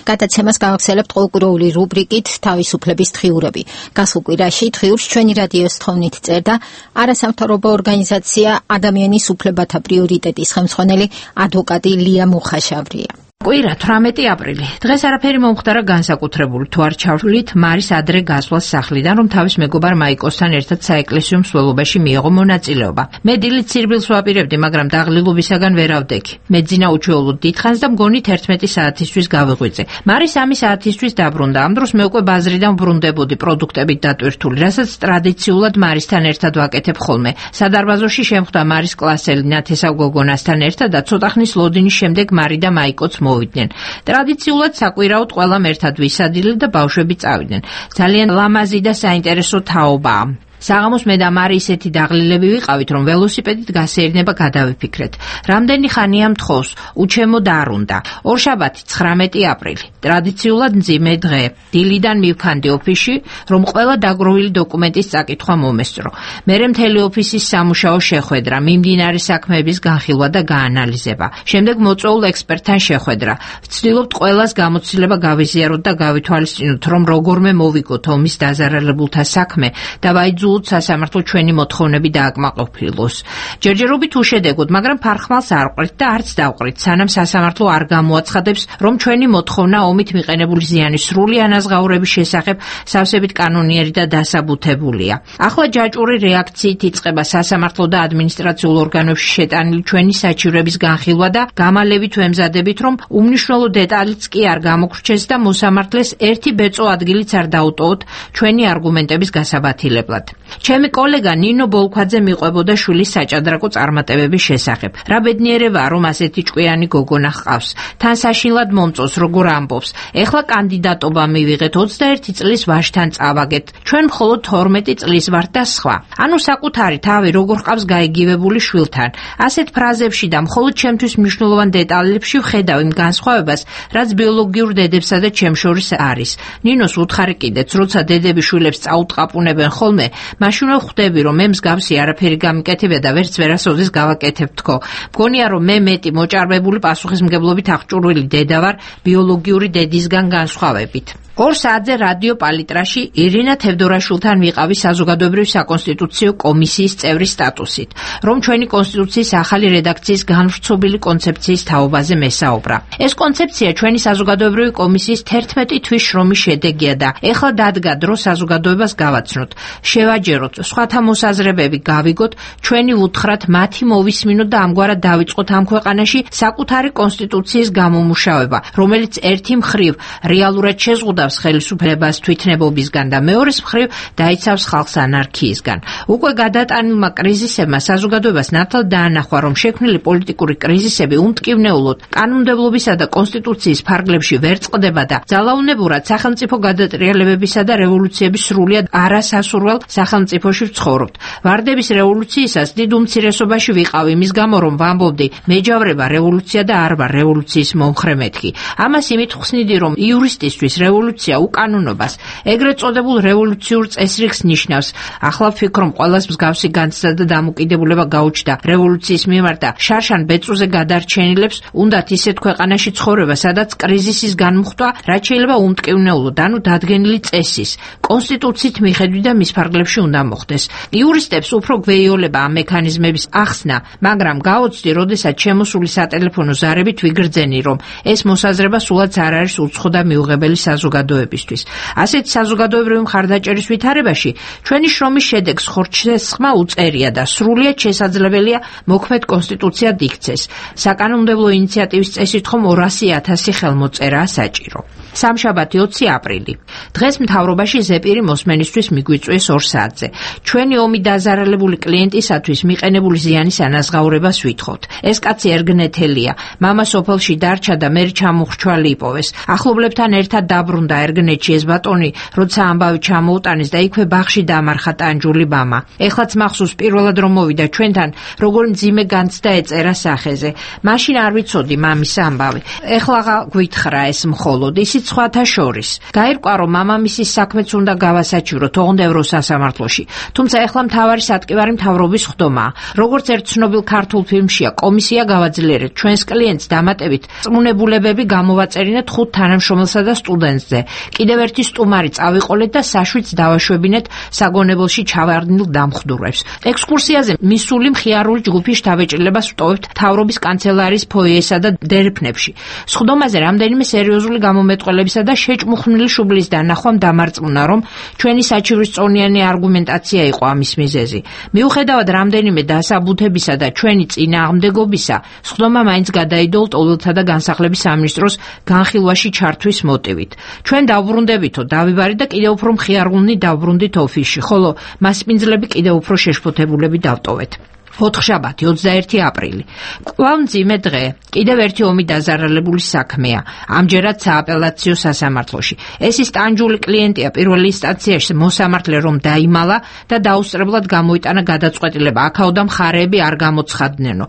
გადაცემას გავახსენებთ ყურული რუბრიკით თავისუფლების დღიურები. გასულ კვირაში დღიურს ჩვენი რადიოს თხოვნით წერდა არასამთავრობო ორგანიზაცია ადამიანის უფლებათა პრიორიტეტის ხელმძღვანელი ადვოკატი ლია მუხაშავრია. კვირა თვრამეტი აპრილი. დღეს არაფერი მომხდარა განსაკუთრებული თუ არ ჩავშვლით მარის ადრე გასვლას სახლიდან, რომ თავის მეგობარ მაიკოსთან ერთად საეკლესიო მსვლელობაში მიიღო მონაწილეობა. მე დილით სირბილს ვაპირებდი, მაგრამ დაღლილობისაგან ვერ ავდექი. მეძინა უჩვეულოდ დიდხანს და მგონით ერთმეტი საათისთვის გავიღვიძე. მარის სამი საათისთვის დაბრუნდა. ამ დროს მე უკვე ბაზრიდან ვბრუნდებოდი პროდუქტებით დატვირთული, რასაც ტრადიციულად მარისთან ერთად ვაკეთებ ხოლმე. სადარბაზოში შემხვდა მარის კლასელი ნათესავ გოგონასთან ერთად და ცოტა ხნის ლოდინის შემდეგ მარი და მაიკოც მოვიდნენ. ტრადიციულად საკვირაოდ ყველამ ერთად ვისადილეთ და ბავშვები წავიდნენ. ძალიან ლამაზი და საინტერესო თაობაა. საღამოს მე და მარი ისეთი დაღლილები ვიყავით, რომ ველოსიპედით გასეირნება გადავიფიქრეთ. რამდენი ხანია მთხოვს, უჩემო და არ უნდა. ორშაბათი ცხრამეტი აპრილი. ტრადიციულად მძიმე დღე. დილიდან მივქანდი ოფისში, რომ ყველა დაგროვილი დოკუმენტის წაკითხვა მომესწრო. მერე მთელი ოფისის სამუშაო შეხვედრა, მიმდინარე საქმეების განხილვა და გაანალიზება. შემდეგ მოწვეულ ექსპერტთან შეხვედრა. ვცდილობთ ყველას გამოცდილება გავიზიაროთ და გავითვალისწინოთ, რომ როგორმე მოვიგოთ ომის დაზარალებულთა საქმე და ვაიძულოთ სრულად სასამართლო ჩვენი მოთხოვნები დააკმაყოფილოს. ჯერჯერობით უშედეგოდ, მაგრამ ფარხმალს არ ყრით და არც დავყრით, სანამ სასამართლო არ გამოაცხადებს, რომ ჩვენი მოთხოვნა ომით მიყენებული ზიანის სრული ანაზღაურების შესახებ სავსებით კანონიერი და დასაბუთებულია. ახლა ჯაჭვური რეაქციით იწყება სასამართლო და ადმინისტრაციულ ორგანოებში შეტანილი ჩვენი საჩივრების განხილვა და გამალებით ვემზადებით, რომ უმნიშვნელო დეტალიც კი არ გამოგრჩეს და მოსამართლეს ერთი ბეწო ადგილიც არ დაუტოვოთ ჩვენი არგუმენტების გასაბათილებლად. ჩემი კოლეგა ნინო ბოლქვაძე მიყვებოდა შვილის საჭადრაკო წარმატებების შესახებ. რა ბედნიერებაა, რომ ასეთი ჭკვიანი გოგონა ჰყავს. თან საშინლად მომწონს, როგორ ამბობს. ეხლა კანდიდატობა მივიღეთ, ოცდაერთი წლის ვაჟთან წავაგეთ. ჩვენ მხოლოდ თორმეტი წლის ვართ და სხვა. ანუ საკუთარი თავი როგორ ჰყავს გაიგივებული შვილთან. ასეთ ფრაზებში და მხოლოდ ჩემთვის მნიშვნელოვან დეტალებში ვხედავ იმ განსხვავებას, რაც ბიოლოგიურ დედებსა და ჩემ შორის არის. ნინოს უთხარი კიდეც, როცა დედები შვილებს წაუტყაპუნებენ ხოლმე, მაშინვე ხვდები, რომ მე მსგავსი არაფერი გამიკეთებია და ვერც ვერასოდეს გავაკეთებ თქო. მგონია, რომ მე მეტი მოჭარბებული პასუხისმგებლობით აღჭურვილი დედა ვარ ბიოლოგიური დედისგან განსხვავებით. ორ საათზე რადიო პალიტრაში ირინა თევდორაშვილთან ვიყავი საზოგადოებრივი საკონსტიტუციო კომისიის წევრის სტატუსით, რომ ჩვენი კონსტიტუციის ახალი რედაქციის განვრცობილი კონცეფციის თაობაზე მესაუბრა. ეს კონცეფცია ჩვენი საზოგადოებრივი კომისიის თერთმეტი თვის შრომის შედეგია და ეხლა დადგა დრო საზოგადოებას გავაცნოთ, შევაჯეროთ, სხვათა მოსაზრებები გავიგოთ, ჩვენი უთხრათ მათი მოვისმინოთ და ამგვარად დავიწყოთ ამ ქვეყანაში საკუთარი კონსტიტუციის გამომუშავება, რომელიც ერთი მხრივ რეალურად შეზღუდავს ხელისუფლებას თვითნებობისგან და მეორეს მხრივ დაიცავს ხალხს ანარქიისგან. უკვე გადატანილმა კრიზისებმა საზოგადოებას ნათლად დაანახვა, რომ შექმნილი პოლიტიკური კრიზისები უმტკივნეულოდ კანონმდებლობისა და კონსტიტუციის ფარგლებში ვერ წყდება და ძალაუნებურად სახელმწიფო გადატრიალებებისა და რევოლუციების სრულიად არასასურველ სახელმწიფოში ვცხოვრობთ. ვარდების რევოლუციისას დიდ უმცირესობაში ვიყავ იმის გამო, რომ ვამბობდი მეჯავრება რევოლუცია და არ ვარ რევოლუციის მომხრე მეთქი. ამას იმით ხსნიდი, რომ იურისტისთვის რევოლუცია უკანონობას, ეგრეთ წოდებულ რევოლუციურ წესრიგს ნიშნავს. ახლა ვფიქრობ, ყველას მსგავსი განცდა და დამოკიდებულება გაუჩნდა რევოლუციის მიმართ და შარშან ბეწვზე გადარჩენილებს უნდათ ისეთ ქვეყანაში ცხოვრება, სადაც კრიზისის განმუხტვა რაც შეიძლება უმტკივნეულოდ, ანუ დადგენილი წესის, კონსტიტუციით მიხედვით და მის ფარგლებში უნდა მოხდეს. იურისტებს უფრო გვეიოლება ამ მექანიზმების ახსნა, მაგრამ გაოცდი, როდესაც შემოსული სატელეფონო ზარებით ვიგრძენი, რომ ეს მოსაზრება სულაც არ არის უცხო და მიუღებელი საზოგადოებისთვის. ასეთ საზოგადოებრივი მხარდაჭერის ვითარებაში ჩვენი შრომის შედეგს ხორცშესხმა უწერია და სრულიად შესაძლებელია მოქმედ კონსტიტუციად იქცეს. საკანონმდებლო ინიციატივის წესით ხომ ორასი ათასი ხელმოწერაა საჭირო. სამშაბათი ოცი აპრილი. დღეს მთავრობაში ზეპირი მოსმენისთვის მიგვიწვიეს ორ საათზე. ჩვენი ომი დაზარალებული კლიენტისათვის მიყენებული ზიანის ანაზღაურებას ვითხოვთ. ეს კაცი ერგნეთელია, მამა სოფელში დარჩა და მე ჩამოხრჩვალი იპოვეს. ახლობლებთან ერთად დაბრუნდა ერგნეთში ეს ბატონი, როცა ამბავი ჩამოუტანეს და იქვე ბაღში დამარხა ტანჯული მამა. ეხლაც მახსოვს პირველად რომ მოვიდა ჩვენთან, როგორ მძიმე განცდა ეწერა სახეზე. მაშინ არ ვიცოდი მამის ამბავი. ეხლა გვითხრა ეს მხოლოდ ისიც სხვათა შორის. გაირკვა რომ მამამისის საქმეც უნდა გავასაჩივროთ ოღონდ სასამართლოში. თუმცა ეხლა მთავარი სატკივარი მთავრობის ხდომაა. როგორც ერთ ცნობილ ქართულ ფილმშია, კომისია გავაძლიერეთ ჩვენს კლიენტს დამატებით წმუნებულებები გამოვაწერინეთ ხუთ თანამშრომელსა და სტუდენტზე. კიდევ ერთი სტუმარი წავიყოლეთ და საშვიც დავაშვებინეთ საგონებელში ჩავარდნილ დამხდურებს. ექსკურსიაზე მისული მხიარული ჯგუფი შთაბეჭდილებას ვტოვებთ მთავრობის კანცელარიის ფოიესა და დერეფნებში. სხდომაზე რამდენიმე სერიოზული გამომეტყველებისა და შეჭმუხნილი შუბლის დანახვამ დამარწმუნა, რომ ჩვენი საჩივრის წონიანი არგუმენტაცია იყო ამის მიზეზი. მიუხედავად რამდენიმე დასაბუთებისა და ჩვენი წინააღმდეგობისა, სხდომა მაინც გადაიდო ლტოლვილთა და განსახლების სამინისტროს განხილვაში ჩართვის მოტივით. ჩვენ დავბრუნდებითო დავიბარით და კიდევ უფრო მხიარული დავბრუნდით ოფისში, ხოლო მასპინძლები კიდევ უფრო შეშფოთებულები დავტოვეთ. ოთხშაბათი ოცდაერთი აპრილი. კვლავ მძიმე დღე. კიდევ ერთი ომი დაზარალებული საქმეა. ამჯერად სააპელაციო სასამართლოში. ეს ის ტანჯული კლიენტია პირველ ინსტანციაში მოსამართლე რომ დაიმალა და დაუსწრებლად გამოიტანა გადაწყვეტილება. აქაოდა მხარეები არ გამოცხადნენო.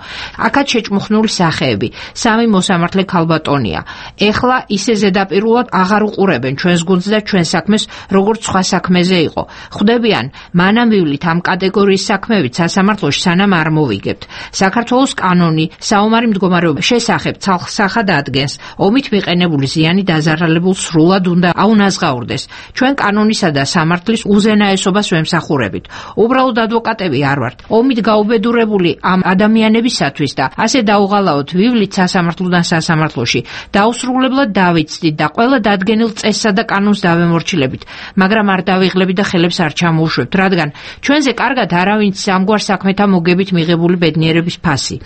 აქაც შეჭმუხნული სახეები. სამი მოსამართლე ქალბატონია. ეხლა ისე ზედაპირულად აღარ უყურებენ ჩვენს გუნდს და ჩვენ საქმეს, როგორც სხვა საქმეზე იყო. ხვდებიან, მანამ ვივლით ამ კატეგორიის საქმეებით სასამართლოში, სანამ არ მოვიგებთ. საქართველოს კანონი საომარი მდგომარეობის შესახებ ცალსახად ადგენს. ომით მიყენებული ზიანი დაზარალებულს სრულად უნდა აუნაზღაურდეს. ჩვენ კანონისა და სამართლის უზენაესობას ვემსახურებით. უბრალოდ ადვოკატები არ ვართ. ომით გაუბედურებული ამ ადამიანებისათვის და ასე დაუღალავთ ვივლით სასამართლოდან სასამართლოში. დაუსრულებლად დავიცდით და ყველა დადგენილ წესსა და კანონს დავემორჩილებით, მაგრამ არ დავიღლებით და ხელებს არ ჩამოუშვებთ, რადგან ჩვენზე კარგად არავინც ამგვარ საქმეთა მოგებით მიღებული ბედნიერების ფასი.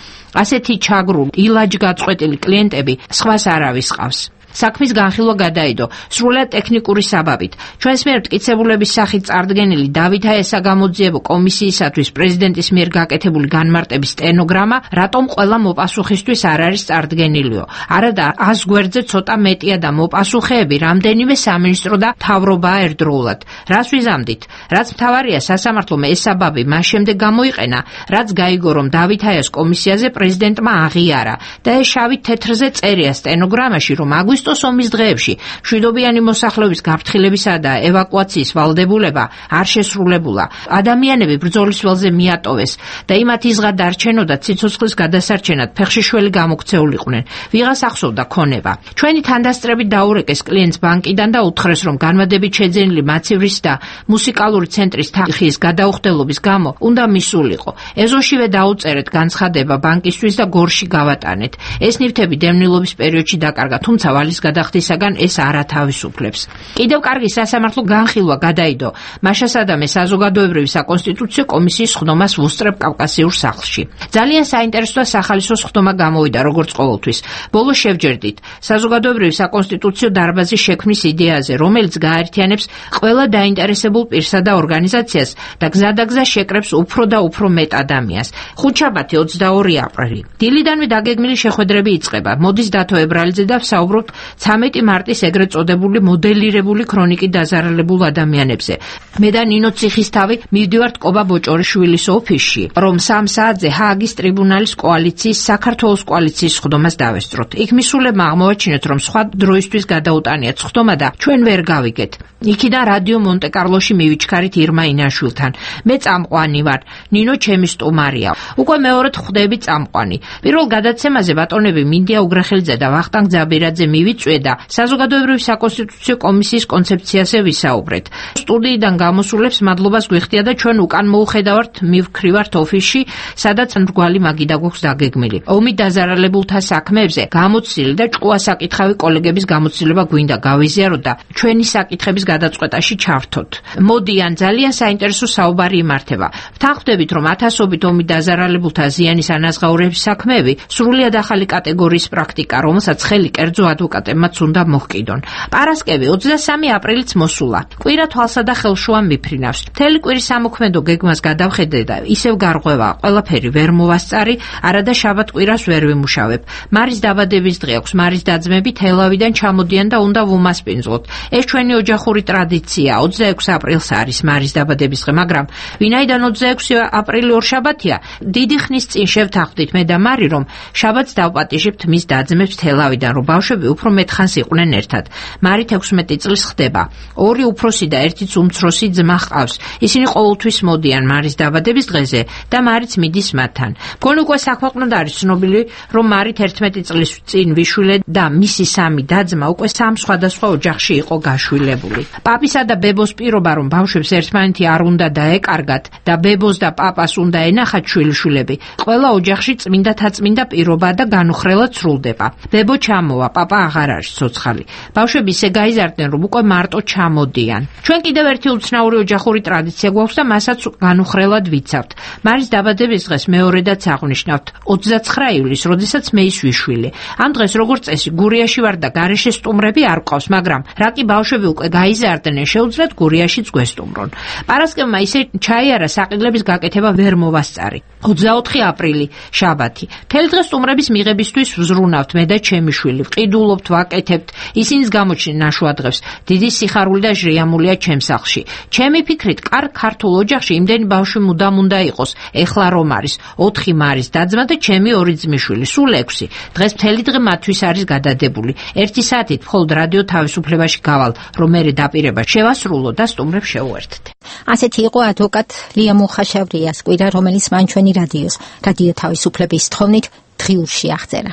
ასეთი ჩაგრული, ილაჯგაწყვეტილი კლიენტები სხვას არავის ყავს. საქმის განხილვა გადაიდო სრულად ტექნიკური საბაბით. ჩვენს მიერ მტკიცებულების სახით წარდგენილი დავით აესა გამოძიებო კომისიისათვის პრეზიდენტის მიერ გაკეთებული განმარტების სტენოგრამა რატომ ყველა მოპასუხისთვის არ არის წარდგენილიო. არადა ას გვერდზე ცოტა მეტია და მოპასუხეები რამდენიმე სამინისტრო და მთავრობაა ერთდროულად. რას ვიზამდით? რაც მთავარია სასამართლომ ეს საბაბი მას შემდეგ გამოიყენა, რაც გაიგო რომ დავით აიას კომისიაზე პრეზიდენტმა აღიარა და ეს შავი თეთრზე წერია სტენოგრამაში, რომ აგვისტოს ომის დღეებში მშვიდობიანი მოსახლეობის გაფრთხილებისა და ევაკუაციის ვალდებულება არ შესრულებულა. ადამიანები ბრძოლის ველზე მიატოვეს და იმათ იზღა დარჩენოდა ციცოცხლის გადასარჩენად ფეხშიშველი გამოქცეულიყვნენ. ვიღას ახსოვდა ქონება. ჩვენი თანდასწრებით დაურეკეს კლიენტს ბანკიდან და უთხრეს, რომ განმადებით შეძენილი მაცივრის და მუსიკალური ცენტრის თანხის გადაუხდელობის გამო უნდა მისულიყო. ეზოშივე დაუწერეთ განცხადება ბანკისთვის და გორში გავატანეთ. ეს ნივთები დევნილობის პერიოდში დაკარგა, თუმცა ვალის გადახდისაგან ეს არ ათავისუფლებს. კიდევ კარგი სასამართლო განხილვა გადაიდო მაშასადამე საზოგადოებრივი საკონსტიტუციო კომისიის ხდომას ვუსწრებ კავკასიურ სახლში. ძალიან საინტერესო და სახალისო ხდომა გამოვიდა, როგორც ყოველთვის. ბოლოს შევჯერდით საზოგადოებრივი საკონსტიტუციო დარბაზის შექმნის იდეაზე, რომელიც გააერთიანებს ყველა დაინტერესებულ პირსა და ორგანიზაციას და გზადაგზა შეკრებს უფრო და უფრო მეტ ადამიანს. ხუთშაბათი ოცდაორი აპრილი. დილიდანვე დაგეგმილი შეხვედრები იწყება. მოდის დათო ებრალიძე და ვსაუბრობთ ცამეტი მარტის ეგრეთ წოდებული მოდელირებული ქრონიკით დაზარალებულ ადამიანებზე. მე და ნინო ციხისთავი მივდივართ კობა ბოჭორიშვილის ოფისში, რომ სამ საათზე ჰააგის ტრიბუნალის კოალიციის საქართველოს კოალიციის ხდომას დავესწროთ. იქ მისულებმა აღმოაჩინეთ, რომ სხვა დროისთვის გადაუტანიათ ხდომა და ჩვენ ვერ გავიგეთ. იქიდან რადიო მონტე-კარლოში მივიჩქარით ირმა ინაშვილთან. მე წამყვანი ვარ, ნინო ჩემი სტუმარია. უკვე მეორედ ხვდები წამყვანი. პირველ გადაცემაზე ბატონები მინდია უგრახელიძე და ვახტანგ ძაბირაძე მივიწვე და საზოგადოებრივი საკონსტიტუციო კომისიის კონცეფციაზე ვისაუბრეთ. სტუდიიდან გამოსულებს მადლობას გვიხდია და ჩვენ უკან მოუხედავართ მივქრივართ ოფისში, სადაც მრგვალი მაგიდა გვაქვს დაგეგმილი. ომით დაზარალებულთა საქმეებზე გამოცდილი და ჭკუა საკითხავი კოლეგების გამოცდილება გვინდა გავიზიაროთ და ჩვენი საკითხების გადაწყვეტაში ჩავრთოთ. მოდიან, ძალიან საინტერესო საუბარი იმართება. ვთანხმდებით, რომ ათასობით ომით დაზარალებულთა ზიანის ანაზღაურების საქმეები სრულიად ახალი კატეგორიის პრაქტიკა, რომელსაც ხელი კერძო ადვოკატებმაც უნდა მოჰკიდონ. პარასკევი ოცდასამი აპრილიც მოსულა. კვირა თვალსა და ხელშუა მიფრინავს. მთელი კვირის სამოქმედო გეგმას გადავხედე და ისევ გარღვევა, ყველაფერი ვერ მოვასწარი, არადა შაბათ კვირას ვერ ვიმუშავებ. მარის დაბადების დღე აქვს, მარის დაძმები თელავიდან ჩამოდიან და უნდა ვუმასპინძლოთ. ეს ჩვენი ოჯახური ტრადიცია. ოცდაექვსი აპრილს არის მარის დაბადების დღე, მაგრამ ვინაიდან ოცდაექვსი აპრილი ორშაბათია, დიდი ხნის წინ შევთანხმდით მე და მარი, რომ შაბათს დავპატიჟებთ მის დაძმებს თელავიდან, რომ ბავშვები უფრო მეტხანს იყვნენ ერთად. მარით ექვსმეტი წლის ხდება. ორი უფროსი და ერთიც უმცროსი ძმა ჰყავს. ისინი ყოველთვის მოდიან მარის დაბადების დღეზე და მარიც მიდის მათთან. მგონი უკვე საქვეყნოდ არის ცნობილი, რომ მარით ერთმეტი წლის წინ ვიშვილე და მისი სამი დაძმა უკვე სამ სხვადასხვა ოჯახში იყო გაშვილებული. პაპისა და ბებოს პირობა, რომ ბავშვებს ერთმანეთი არ უნდა დაეკარგათ და ბებოს და პაპას უნდა ენახათ შვილიშვილები, ყველა ოჯახში წმინდა-თაწმინდა პირობა და განუხრელად სრულდება. ბებო ჩამოვა, პაპა აღარ არის ცოცხალი. ბავშვები ისე გაიზარდნენ, რომ უკვე მარტო ჩამოდიან. ჩვენ კიდევ ერთი უცნაური ოჯახური ტრადიცია გვაქვს და მასაც განუხრელად ვიცავთ. მარის დაბადების დღეს მეორედაც აღნიშნავთ ოცდაცხრა ივლისს, როდესაც მე ის ვიშვილი. ამ დღეს როგორც წესი გურიაში ვარ და გარეშე სტუმრები არ ყავს, მაგრამ რა კი ბავშვები უკვე გაიზარდნენ, შეუძლიათ გურიაშიც გვესტუმრონ. პარასკევმა ისე ჩაიარა, საყიდლების გაკეთება ვერ მოვასწარი. ოცდაოთხი აპრილი, შაბათი. მთელი დღე სტუმრების მიღებისთვის ვზრუნავთ მე და ჩემი შვილი. ვყიდულობთ, ვაკეთებთ. ისინიც გამოჩნდნენ ნაშუადღებს. დიდი სიხარული და ჟრიამულია ჩემს სახლში. ჩემი ფიქრით, კარგ ქართულ ოჯახში იმდენი ბავშვი მუდამ უნდა იყოს. ეხლა რომ არის ოთხი მარის დაძმა და ჩემი ორი ძმისშვილი, სულ ექვსი. დღეს მთელი დღე მათთვის არის გადადებული. ერთი საათით მხოლოდ რადიო თავისუფლებაში გავალ, რომ მერე დაპირება შევასრულო და სტუმრებს შევუერთდე. ასეთი იყო ადვოკატ ლია მუხაშევრიას კვირა, რომელიც მან ჩვენი რადიოს, რადიო თავისუფლების თხოვნით დღიურში აღწერა.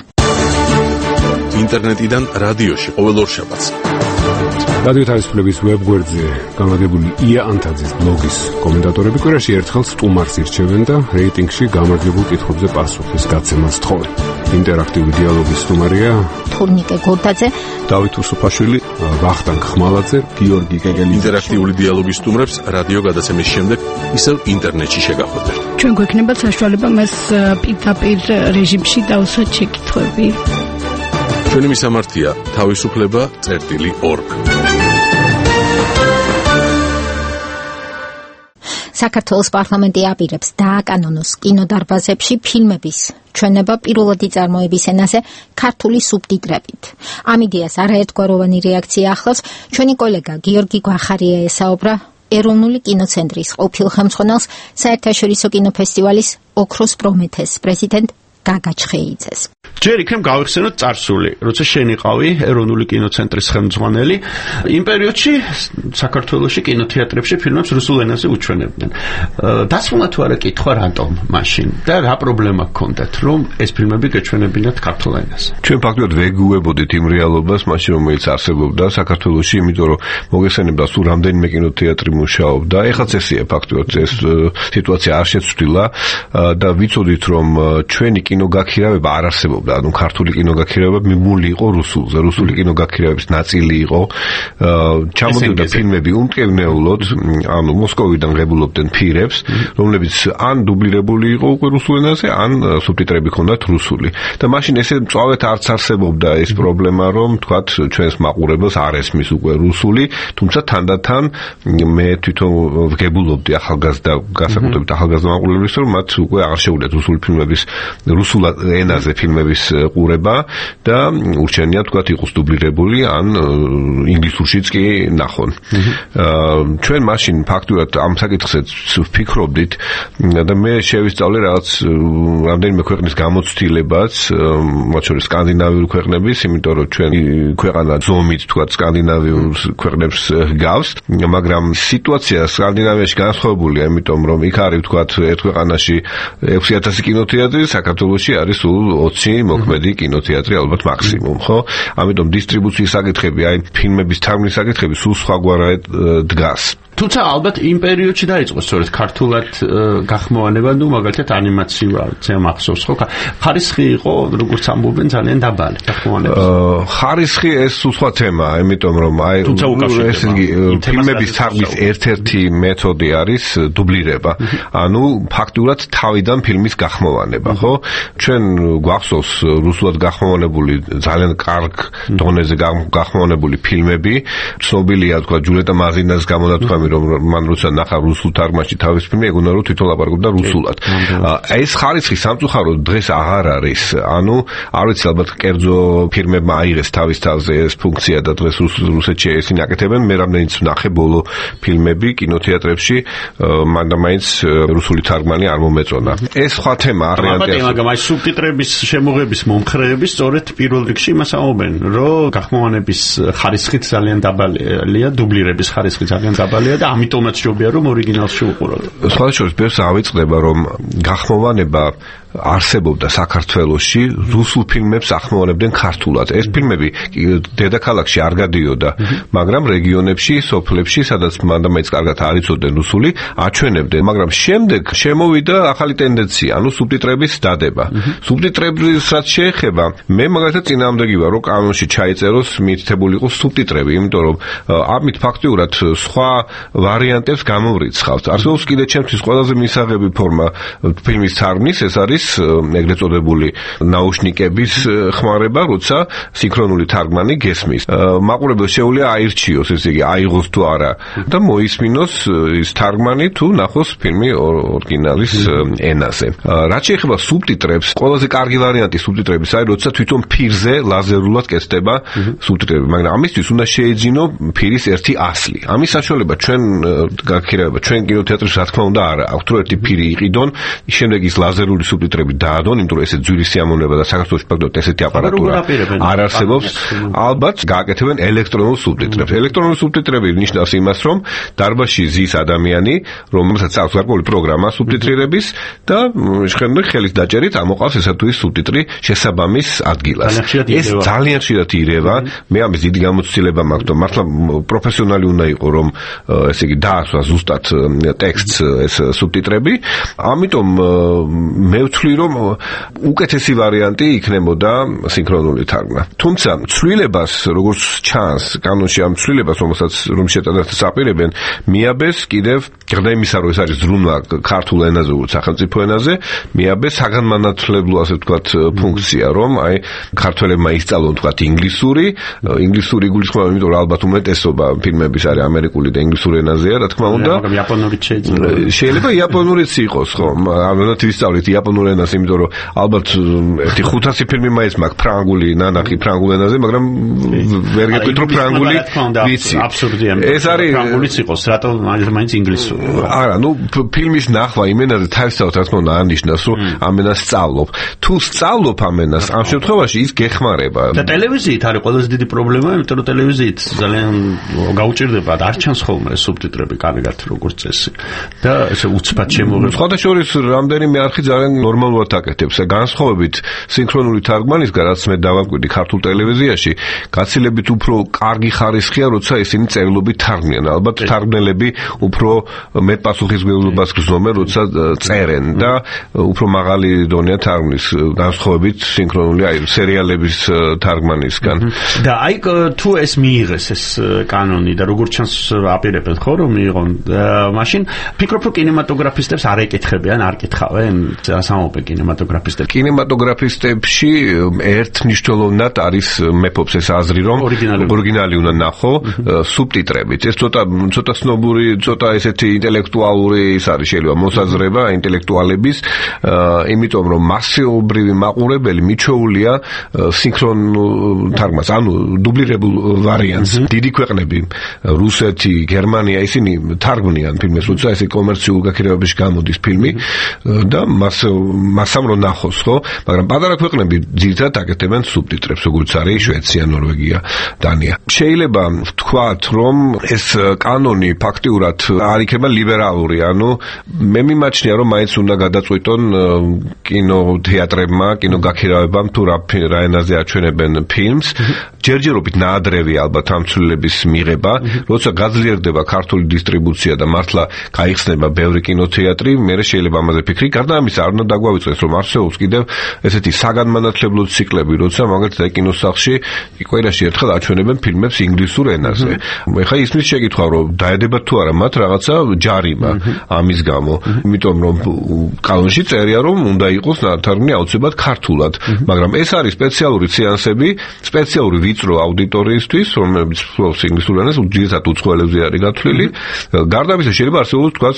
ინტერნეტიდან რადიოში ყოველ ორშაბათს. რადიო თავისუფლების ვებგვერდზე განლაგებული ია ანთაძის ბლოგის კომენტატორები კვირაში ერთხელ სტუმარს ირჩევენ და რეიტინგში გამარჯვებულ კითხვებზე პასუხის გაცემას თხოვენ. ინტერაქტიული დიალოგის სტუმარია თურნიკე გორდაძე, დავით უსუფაშვილი, ვახტანგ ხმალაძე, გიორგი კეკელი. ინტერაქტიული დიალოგის სტუმრებს რადიო გადაცემის შემდეგ ისევ ინტერნეტში შეგახვედრთ. ჩვენ გვექნება საშუალება მას პირდაპირ რეჟიმში დავსვათ შეკითხვები. ჩვენი მისამართია თავისუფლება წერტილი ორგ. საქართველოს პარლამენტი აპირებს დააკანონოს კინოდარბაზებში ფილმების ჩვენება პირველადი წარმოების ენაზე ქართული სუბტიტრებით. ამ იდეას არაერთგვაროვანი რეაქცია ახლავს. ჩვენი კოლეგა გიორგი გვახარია ესაუბრა ეროვნული კინოცენტრის ყოფილ ხელმძღვანელს, საერთაშორისო კინოფესტივალის ოქროს პრომეთეს პრეზიდენტ გაგა ჩხეიძეს. ჯერ იქნებ გავიხსენოთ წარსული, როცა შენ იყავი ეროვნული კინოცენტრის ხელმძღვანელი, იმ პერიოდში საქართველოში კინოთეატრებში ფილმებს რუსულ ენაზე უჩვენებდნენ. დასმულა თუ არა კითხვა რატომ მაშინ და რა პრობლემა გქონდათ, რომ ეს ფილმები გეჩვენებინათ ქართულ ენაზე? ჩვენ ფაქტობრივად ვეგუებოდით იმ რეალობას, მაშინ რომელიც არსებობდა საქართველოში, იმიტომ რომ მოგესალმებდა სულ რამდენიმე კინოთეატრი მუშაობდა. ეხლაც ესეა ფაქტობრივად ეს სიტუაცია არ შეცვლილა და ვიცოდით რომ ჩვენი კინოგაქირავება არ არსებობდა. ანუ ქართული კინოგაქირავება მიმული იყო რუსულზე, რუსული კინოგაქირავების ნაწილი იყო. ჩამოდიოდა ფილმები უმტკივნეულოდ, ანუ მოსკოვიდან ღებულობდნენ ფირებს, რომლებიც ან დუბლირებული იყო უკვე რუსულ ენაზე, ან სუბტიტრები ჰქონდათ რუსული. და მაშინ ესე მწვავედ არც არსებობდა ეს პრობლემა, რომ თქვათ ჩვენს მაყურებელს არ ესმის უკვე რუსული, თუმცა თანდათან მე თვითონ ვღებულობდი ახალგაზრდა, განსაკუთრებით ახალგაზრდა მაყურებლებს, რომ მათ უკვე არ შეუძლიათ რუსული ფილმების რუსულ ენაზე ფილმების ყურება და ურჩენია თქვათ იყოს დუბლირებული ან ინგლისურშიც კი ნახონ. ჩვენ მაშინ ფაქტურად ამ საკითხზე ვფიქრობდით და მე შევისწავლე რაღაც რამდენიმე ქვეყნის გამოცდილებაც, მათ შორის სკანდინავიური ქვეყნების, იმიტომ რომ ჩვენ ქვეყანა ზომით თქვათ სკანდინავიურ ქვეყნებს გავს, მაგრამ სიტუაცია სკანდინავიაში განსხვავებულია, იმიტომ რომ იქ არის თქვათ ერთ ქვეყანაში ექვსი ათასი კინოთეატრი, საქართველოში არის სულ ოცი მოქმედი კინოთეატრი ალბათ მაქსიმუმ, ხო? ამიტომ დისტრიბუციის საკითხები, აი ფილმების თარგმნის საკითხები სულ სხვაგვარად დგას. თუმცა ალბათ იმ პერიოდში დაიწყო სწორედ ქართულად გახმოვანება, ну მაგალითად ანიმაციაზე მახსოვს, ხო? ხარისხი იყო, როგორც ამბობენ, ძალიან დაბალი გახმოვანების. ხარისხი ეს სხვა თემაა, იმიტომ რომ აი ეს ფილმების თარგმნის ერთ-ერთი მეთოდი არის დუბლირება. ანუ ფაქტურად თავიდან ფილმის გახმოვანება, ხო? ჩვენ გვახსოვს რუსულად გახმოვანებული ძალიან კარგ დონეზე გახმოვანებული ფილმები, ცნობილია თქვა ჯულეტა მაზინას გამონათქვამი, რომ მან როცა ნახა რუსულ თარგმანში თავის ფილმი, ეგონა რომ თვითონ ლაპარაკობდა რუსულად. ეს ხარისხი სამწუხაროდ დღეს აღარ არის. ანუ არ ვიცი, ალბათ კერძო ფირმებმა აიღეს თავის თავზე ეს ფუნქცია და დღეს რუსეთში ისინი აკეთებენ. მე რამდენიც ვნახე ბოლო ფილმები კინოთეატრებში, მანდამაინც რუსული თარგმანი არ მომეწონა. ეს სხვა თემა არ რეალია. მაგრამ აი სუბტიტრების შემოღების მომხრეები სწორედ პირველ რიგში იმას ამბობენ, რომ გახმოვანების ხარისხით ძალიან დაბალია, დუბლირების ხარისხი ძალიან დაბალია და ამიტომაც ჯობია რომ ორიგინალში უყუროთ. სხვა შორის ბევრს ავიწყდება რომ გახმოვანება არსებობდა საქართველოში, რუსულ ფილმებს ახმოვანებდნენ ქართულად. ეს ფილმები დედაქალაქში არ გადიოდა, მაგრამ რეგიონებში, სოფლებში, სადაც მანდამაინც კარგად არ იცოდნენ რუსული, აჩვენებდნენ, მაგრამ შემდეგ შემოვიდა ახალი ტენდენცია, ანუ სუბტიტრების დადება. სუბტიტრების რაც შეეხება, მე მაგალითად წინააღმდეგი ვარ, რომ კანონში ჩაიწეროს მითითებული იყოს სუბტიტრები, იმიტომ რომ ამით ფაქტიურად სხვა ვარიანტებს გამოვრიცხავთ. არსებობს კიდე ჩემთვის ყველაზე მისაღები ფორმა ფილმის თარგმნის, ეს არის ეგრეთ წოდებული ნაუშნიკების ხმარება, როცა სინქრონული თარგმანი გესმის. მაყურებელს შეუძლია აირჩიოს, ესე იგი აიღოს თუ არა და მოისმინოს ის თარგმანი თუ ნახოს ფილმი ორიგინალის ენაზე. რაც შეეხება სუბტიტრებს, ყველაზე კარგი ვარიანტი სუბტიტრების არის, როცა თვითონ ფირზე ლაზერულად კეთდება სუბტიტრები, მაგრამ ამისთვის უნდა შეეძინო ფირის ერთი ასლი. ამის საშუალება ჩვენ გაქირავება, ჩვენ კინოთეატრში რა თქმა უნდა არა, აქვს თუ ერთი ფირი იყიდონ, შემდეგ ის ლაზერული სუბტიტრები სუბტიტრები დაადონ, იმიტომ რომ ესე ძვირი სიამოვნება და საქართველოში ფაქტობრივად ესეთი აპარატურა არ არსებობს. ალბათ გააკეთებენ ელექტრონულ სუბტიტრებს. ელექტრონული სუბტიტრები ნიშნავს იმას, რომ დარბაზში ზის ადამიანი, რომელსაც აქვს გარკვეული პროგრამა სუბტიტრირების და შეხებნი ხელის დაჭერით ამოყავს ესა თუ ის სუბტიტრი შესაბამის ადგილას. ეს ძალიან ხშირად ირევა. მე ამის დიდი გამოცდილება მაქვს და მართლა პროფესიონალი უნდა იყო რომ ესე იგი დაასვა ზუსტად ტექსტს ეს სუბტიტრები. ამიტომ მე ვთვლი რომ უკეთესი ვარიანტი იქნებოდა სინქრონული თარგმნა. თუმცა ცვლილებას როგორც ჩანს კანონში ამ ცვლილებას რომელსაც რომ შეტანილს აპირებენ მიაბეს კიდევ გარდა იმისა რომ ეს არის ზრუნვა ქართულ ენაზე უც სახელმწიფო ენაზე მიაბეს საგანმანათლებლო ასე ვთქვათ ფუნქცია რომ აი ქართველებმა ისწავლონ ვთქვათ ინგლისური ინგლისური გულისხმობა იმიტომ რომ ალბათ უმეტესობა ფილმების არის ამერიკული და ინგლისური ენაზეა რა თქმა უნდა მაგრამ იაპონურიც შეიძლება შეიძლება იაპონურიც იყოს ხო ამანათ ვისწავლით იაპონურ ენას იმიტომ რომ ალბათ ერთი ხუთასი ფილმი მაინც მაქვს ფრანგული ნანახი ფრანგულ ენაზე მაგრამ ვერ გეტყვით რომ ფრანგული ვიცი აბსურდია ეს არის ფრანგულიც იყოს რატო მაინც ინგლისური არა ნუ ფილმის ნახვა იმ ენაზე თავისთავად რა თქმა უნდა ანიშნავს რომ ამ ენას სწავლობ თუ სწავლობ ამ ენას ამ შემთხვევაში ის გეხმარება და ტელევიზიით არის ყველაზე დიდი პრობლემა იმიტომ რომ ტელევიზიით ძალიან გაუჭირდება არ ჩანს ხოლმე სუბტიტრები კარგად როგორც წესი და ესე უცბად შემოღება სხვადასხვა რამდენიმე არხი ძალიან ნორმალურად აკეთებს განსხვავებით სინქრონული თარგმანისგან რაც მე დავამკვიდრი ქართულ ტელევიზიაში გაცილებით უფრო კარგი ხარისხია როცა ისინი წერილობით თარგმნიან ალბათ თარგმნელები უფრო მეტ პასუხისმგებლობას გრძნობენ როცა წერენ და უფრო მაღალი დონეა თარგმნის განსხვავებით სინქრონული აი სერიალების თარგმანისგან და აი თუ ეს მიიღეს ეს კანონი და როგორც ჩანს აპირებენ ხო რომ მიიღონ მაშინ ფიქრობ რომ კინემატოგრაფისტებს არ ეკითხებიან არ კითხავენ სამომე კინემატოგრაფისტებს კინემატოგრაფისტებში ერთნიშნულოვნად არის მეფობს ეს აზრი რომ ორიგინალი უნდა ნახო სუბტიტრებით ეს ცოტა ცოტა ცნობური ცოტა ესეთი ინტელექტუალური ის არის შეიძლება მოსაზრება ინტელექტუალების იმიტომ რომ მასიობრივი მაყურებელი მიჩვეულია სინქრონულ თარგმანს ანუ დუბლირებულ ვარიანტს დიდი ქვეყნები რუსეთი გერმანია ისინი თარგმნიან ფილმებს როცა ესე კომერციულ გაქირავებაში გამოდის ფილმი და მას მასამ რო ნახოს ხო მაგრამ პატარა ქვეყნები ძირითადად აკეთებენ სუბტიტრებს როგორც არის შვეიცარია ნორვეგია დანია შეიძლება ვთქვათ რომ ეს კანონი ფაქტიურად არ იქნება ლიბერალური ანუ მე მიმაჩნია რომ მაინც უნდა გადაწყვიტონ კინოთეატრებმა კინოგაქირავებამ თუ რა ენაზე აჩვენებენ ფილმს ჯერჯერობით ნაადრევი ალბათ ამ ცვლილების მიღება როცა გაძლიერდება ქართული დისტრიბუცია და მართლა გაიხსნება ბევრი კინოთეატრი მე შეიძლება ამაზე ფიქრი გარდა ამისა არ უნდა დაგვავიწყდეს რომ არსებობს კიდევ ესეთი საგანმანათლებლო ციკლები როცა მაგალითად კინოსახლში კვირაში ერთხელ აჩვენებენ ფილმებს ინგლისურ ენაზე ეხლა ისმის შეკითხვა რომ დაედებათ თუ არა მათ რაღაცა ჯარიმა ამის გამო იმიტომ რომ კანონში წერია რომ უნდა იყოს ნათარგმნი აუცილებლად ქართულად მაგრამ ეს არის სპეციალური სეანსები სპეციალური ვიწრო აუდიტორიისთვის რომლებიც ფლობს ინგლისურ ენას უძირითად უცხოელებზე არის გათვლილი გარდა ამისა შეიძლება არსებობს თქვა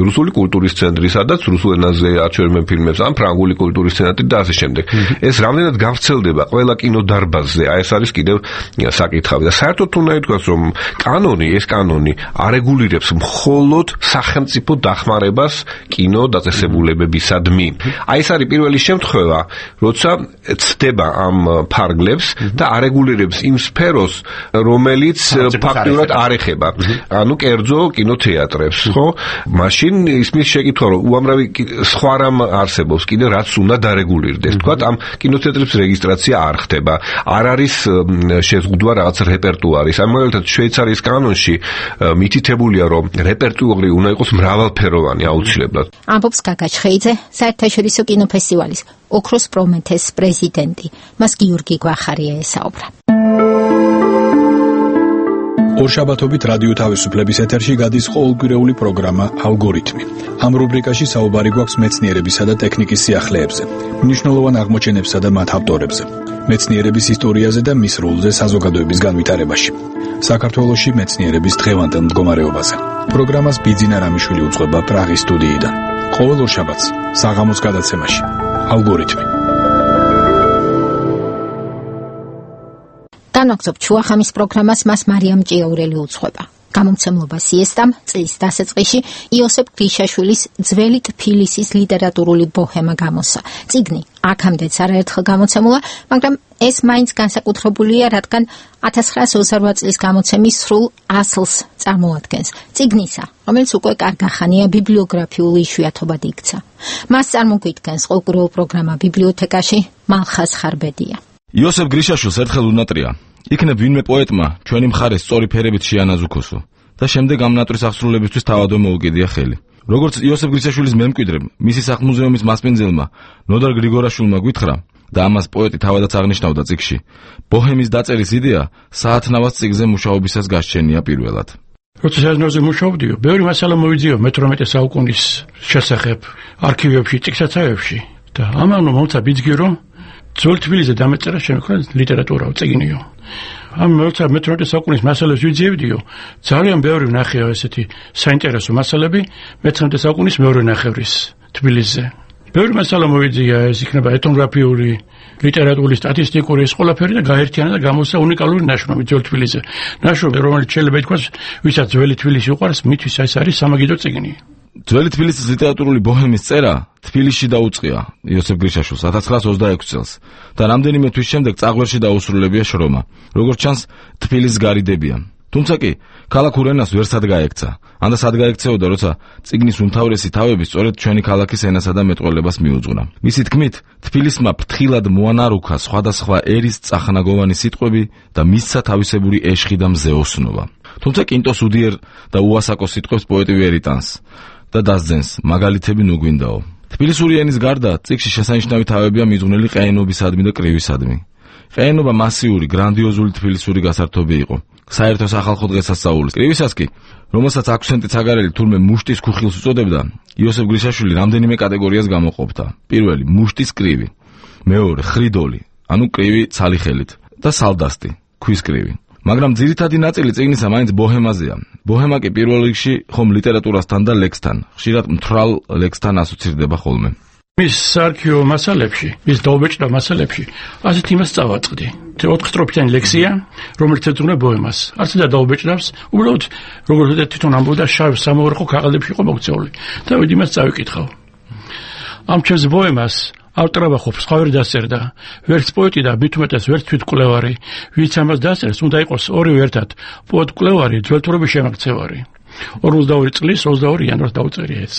რუსული კულტურის ცენტრი სადაც რუსულ ენაზე აჩვენებენ ფილმებს ან ფრანგული კულტურის ცენტრი და ასე შემდეგ ეს რამდენად გავრცელდება ყველა კინოდარბაზზე აი ეს არის კიდევ საკითხავი და საერთოდ უნდა ითქვას რომ კანონი ეს კანონი არეგულირებს მხოლოდ სახელმწიფო დახმარებას კინო დაწესებულებებისადმი აი ეს არის პირველი შემთხვევა როცა ცდება ამ ფარგლებს და არეგულირებს იმ სფეროს რომელიც ფაქტიურად არ ეხება ანუ კერძო კინოთეატრებს ხო მაშინ ისმის შეკითხვა რომ უამრავი სხვა რამ არსებობს კიდე რაც უნდა დარეგულირდეს თქვა ამ კინოთეატრების რეგისტრაცია არ ხდება არ არის შეზღუდვა რაღაც რეპერტუარის ამ მაგალითად შვეიცარიის კანონში მითითებულია რომ რეპერტუარი უნდა იყოს მრავალფეროვანი აუცილებლად ამბობს გაგაჩხეიძე საერთაშორისო კინოფესტივალის ოქროს პრომეთეს პრეზიდენტი მას გიორგი გვახარია ესაუბრა ორშაბათობით რადიო თავისუფლების ეთერში გადის ყოველკვირეული პროგრამა ალგორითმი. ამ რუბრიკაში საუბარი გვაქვს მეცნიერებისა და ტექნიკის სიახლეებზე, მნიშვნელოვან აღმოჩენებსა და მათ ავტორებზე, მეცნიერების ისტორიაზე და მის როლზე საზოგადოების განვითარებაში. საქართველოში მეცნიერების დღევანდელ მდგომარეობაზე. პროგრამას ბიძინა რამიშვილი უძღვება პრაღის სტუდიიდან. ყოველ ორშაბათს საღამოს გადაცემაში. ალგორითმი. განვაგრძობ ჩუახამის პროგრამას მას მარიამ ჭიაურელი უძღვება. გამომცემლობა სიესტამ წლის დასაწყისში იოსებ გრიშაშვილის ძველი თბილისის ლიტერატურული ბოჰემა გამოსცა. წიგნი აქამდეც არაერთხელ გამოცემულა, მაგრამ ეს მაინც განსაკუთრებულია, რადგან ათას ცხრაასი ოცდაოთხ წლის გამოცემის სრულ ასლს წარმოადგენს. წიგნისა, რომელიც უკვე კარგახანია ბიბლიოგრაფიული იშვიათობად იქცა. მას წარმოგვიდგენს ყოველკვირეულ პროგრამა ბიბლიოთეკაში მალხაზ ხარბედია. იოსებ გრიშაშვილს ერთხელ უნატრია იქნებ ვინმე პოეტმა ჩვენი მხარეს სწორი ფერებით შეანაზუქოსო და შემდეგ ამ ნატრის აღსრულებისთვის თავადვე მოუგედია ხელი. როგორც იოსებ გრიშაშვილის მემკვიდრემ, მისი სახლ-მუზეუმის მასპინძელმა ნოდარ გრიგორაშვილმა გითხრა და ამას პოეტი თავადაც აღნიშნავდა წიგნში, ბოჰემის დაწერის იდეა საათნავას წიგნზე მუშაობისას გასჩენია პირველად. როცა საზნაოზე მუშაობდიო, ბევრი მასალა მოვიძიო მეთორმეტე საუკუნის შესახებ არქივებში, წიგნსაცავებში და ამან მომცა ბიძგი რომ ძველ თბილისზე დამეწერა შემოქმნა ლიტერატურა წიგნიო. ამ როცა მეთორმეტე საუკუნის მასალებს ვიძიებდიო, ძალიან ბევრი ვნახეო ესეთი საინტერესო მასალები მეცხრამეტე საუკუნის მეორე ნახევრის თბილისზე. ბევრი მასალა მოვიძია, ეს იქნება ეთნოგრაფიული, ლიტერატურული, სტატისტიკური, ეს ყველაფერი და გაერთიანა და გამოსცა უნიკალური ნაშრომი ძველ თბილისზე. ნაშრომი, რომელიც შეიძლება ითქვას, ვისაც ძველი თბილისი უყვარს, მისთვის ეს არის სამაგიდო წიგნი. ძველი თბილისის ლიტერატურული ბოჰემის წერა თბილისში დაუწყია იოსებ გრიშაშვილს ათას ცხრაასი ოცდაექვსი წელს და რამდენიმე თვის შემდეგ წაღვერში დაუსრულებია შრომა. როგორც ჩანს, თბილისს გარიდებია. თუმცა კი ქალაქ ურენას ვერ სად გაექცა. ანდა სად გაექცეოდა, როცა წიგნის უმთავრესი თავები სწორედ ჩვენი ქალაქის ენასა და მეტყველებას მიუძღვნა. მისი თქმით, თბილისმა ფრთხილად მოანარუქა სხვადასხვა ერის წახნაგოვანი სიტყვები და მისცა თავისებური ეშხი და მზეოსნობა. თუმცა კინტოს უდიერ და უასაკო სიტყვებს პოეტი ვერ იტანს და დასძენს, მაგალითები ნუ გვინდაო. თბილისური ენის გარდა წიგნში შესანიშნავი თავებია მიძღვნილი ყეენობისადმი და კრივისადმი. ყეენობა მასიური, გრანდიოზული თბილისური გასართობი იყო. საერთო სახალხო დღესასწაულის. კრივისაც კი, რომელსაც აქვსენტი ცაგარელი თურმე მუშტის ქუხილს უწოდებდა, იოსებ გრიშაშვილი რამდენიმე კატეგორიას გამოყოფდა. პირველი, მუშტის კრივი. მეორე, ხრიდოლი, ანუ კრივი ცალი ხელით და სალდასტი, ქვის კრივი. მაგრამ ძირითადი ნაწილი წიგნისა მაინც ბოჰემაზეა. ბოჰემა კი პირველ რიგში ხომ ლიტერატურასთან და ლექსთან, ხშირად მთრალ ლექსთან ასოცირდება ხოლმე. მის არქივო მასალებში, მის დაუბეჭდა მასალებში, ასეთ იმას წავაწყდი. ოთხ სტროფიანი ლექსია, რომელიც ეძღვნა ბოჰემას. არც და დაუბეჭდავს, უბრალოდ როგორც თვითონ ამბობდა, შავ სამოღრახო ქაღალდებში იყო მოქცეული. და ვიდ იმას წავიკითხავ. ამ ჩემს ბოჰემას ავტორობა ხო სხვა ვერ დასწერდა. ვერც პოეტი და მით უმეტეს ვერც თვითმკვლევარი, ვინც ამას დასწერს, უნდა იყოს ორივე ერთად, პოეტ-მკვლევარი, ძველთურობის შემოქცევარი. ორმოცდაორი წლის ოცდაორი იანვარს დაუწერია ეს.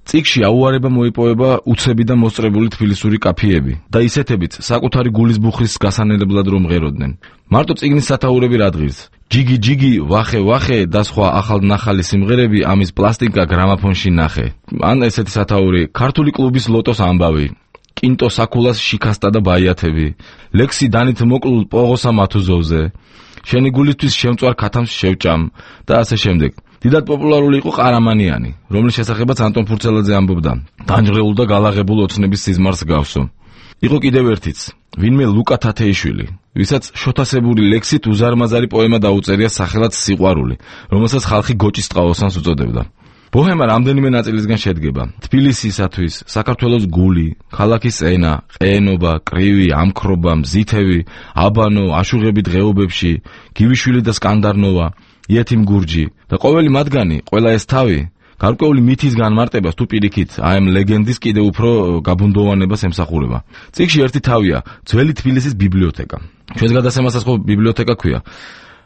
წიგნში აუარება მოიპოვება უცები და მოსწრებული თბილისური კაფეები და ისეთებიც საკუთარი გულის ბუხრის გასანელებლად რომ მღეროდნენ. მარტო წიგნის სათაურები რა დღირს. ჯიგი ჯიგი, ვახე ვახე და სხვა ახალნახალი სიმღერები ამის პლასტიკა გრამაფონში ნახე. ან ესეთი სათაური ქართული კლუბის ლოტოს ამბავი. კინტო საკულას შიქასტა და ბაიათები. ლექსი დანით მოკლულ პოღოსა მათუზოვზე. შენი გულისთვის შემწვარ ქათამს შევჭამ და ასე შემდეგ. დიდად პოპულარული იყო ყარამანიანი, რომლის შესახებაც ანტონ ფურცელაძე ამბობდა. დანჯღრეულ და გალაღებულ ოცნების სიზმარს გავსო. იყო კიდევ ერთიც, ვინმე ლუკა თათეიშვილი, ვისაც შოთასებული ლექსით უზარმაზარი პოემა დაუწერია სახელად სიყვარული, რომელსაც ხალხი გოჭის ტყაოსანს უწოდებდა. ბოჰემა რამდენიმე ნაწილისგან შედგება. თბილისისათვის, საქართველოს გული, ქალაქის ენა, ყეენობა, კრივი, ამქრობა, მზითევი, აბანო, აშუღები დღეობებში, გივიშვილი და სკანდარნოვა, იეთიმ გურჯი და ყოველი მათგანი, ყველა ეს თავი, გარკვეული მითის განმარტებას თუ პირიქით, აი ამ ლეგენდის კიდევ უფრო გაბუნდოვანებას ემსახურება. წიგნში ერთი თავია, ძველი თბილისის ბიბლიოთეკა. ჩვენს გადასემასაც ხო ბიბლიოთეკა ქვია.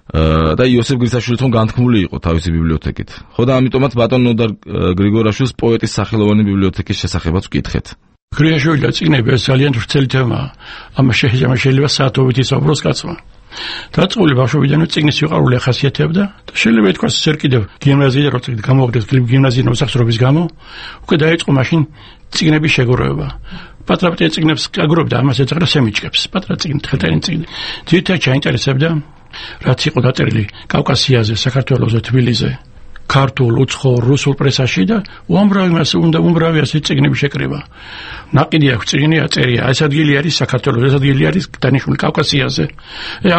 და იოსებ გრიშაშვილიც რომ განთქმული იყო თავისი ბიბლიოთეკით. ხო და ამიტომაც ბატონ ნოდარ გრიგორაშვილს პოეტის სახელოვანი ბიბლიოთეკის შესახებაც ვკითხეთ. გრიშაშვილის წიგნები ძალიან ვრცელი თემაა. ამას შეიძლება საათობით ისაუბროს კაცმა. დაწყებული ბავშვობიდანვე წიგნის სიყვარული ახასიათებდა და შეიძლება ითქვას ეს ერთ კიდევ გიმნაზიიდან როცა გამოვიდა გიმნაზიის მოსახსრობის გამო, უკვე დაიწყო მაშინ წიგნების შეგროვება. პატრაპტია წიგნებს აგროვდა, ამას ეძღრა სემიჩკებს, პატრა წიგნი, თხელტანი წიგნი. ძირითადად ჩაინტერესებდა რაც იყო დაწერილი კავკასიაზე, საქართველოზე, თბილისზე, ქართულ, უცხოურ, რუსულ პრესაში და უამრავი მას უნდა უმრავი ასე წიგნები შეკრება. ნაყიდი აქვს წიგნი აწერია, ეს ადგილი არის საქართველოს, ეს ადგილი არის დანიშნული კავკასიაზე.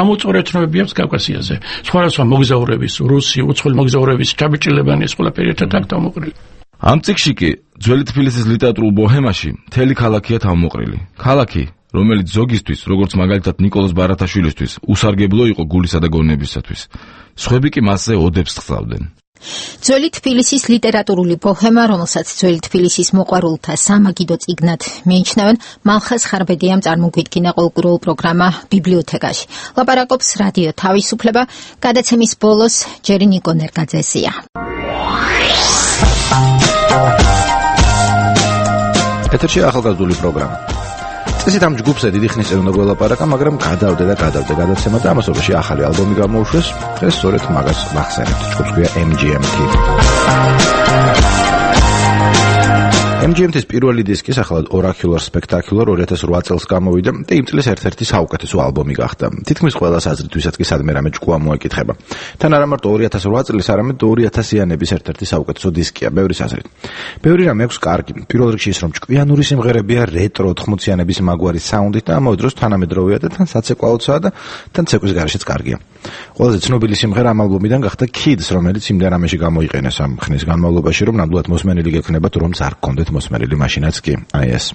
ამოწორე ცნობები აქვს კავკასიაზე. სხვადასხვა მოგზაურების, რუსი, უცხოელი მოგზაურების ჩაბიჭილებანი ეს ყველაფერი ერთად აქ დამოყრილი. ამ წიგნში კი ძველი თბილისის ლიტერატურულ ბოჰემაში მთელი ქალაქია თავმოყრილი. ქალაქი რომელიც ზოგისთვის, როგორც მაგალითად ნიკოლოზ ბარათაშვილისთვის, უსარგებლო იყო გულისა და გონებისათვის. სხვები კი მასზე ოდებს ხსავდნენ. ძველი თბილისის ლიტერატურული ბოჰემა, რომელსაც ძველი თბილისის მოყვარულთა სამაგიდო წიგნად მიიჩნევენ, მალხაზ ხარბედიამ წარმოგვიდგინა ყოველკვირეულ პროგრამა ბიბლიოთეკაში. ლაპარაკობს რადიო თავისუფლება, გადაცემის ბოლოს ჯერი ნიკო ნერგაძესია. ეთერში ახალგაზრდული პროგრამა. წესით ამ ჯგუფზე დიდი ხნის წინ უნდა გველაპარაკა, მაგრამ გადავდე და გადავდე გადაცემა და ამასობაში ახალი ალბომი გამოუშვეს. დღეს სწორედ მაგას ვახსენებთ. ჯგუფს ქვია M G M T. M G M T-ის პირველი დისკი სახელად Oracular Spectacular ორი ათას ოთხ წელს გამოვიდა და იმ წლის ერთ-ერთი საუკეთესო ალბომი გახდა. თითქმის ყველა საზრითვისაც კი სადმე რამე ჭკუა მოეკითხება. თან არა მარტო ორი ათას ოთხ წლის, არამედ ორი ათასიანების ერთ-ერთი საუკეთესო დისკია, ბევრი საზრით. ბევრი რამე აქვს კარგი. პირველ რიგში ის, რომ ჭკვიანური სიმღერებია, რეტრო ოთხმოციანების მაგვარი საუნდით და ამავე დროს თანამედროვეა და თან საცეკვაოცაა და თან ცეკვის გარეშეც კარგია. ყველაზე ცნობილი სიმღერა ამ ალბომიდან გახდა Kids, რომელიც იმდენ რამეში გამოიყენეს ამ ხნის განმავლობაში, რომ ნამდვილად მოსმენილი გექნებათ, რომ არ გქონდეთ მოსმენილი მაშინაც კი. აი ეს.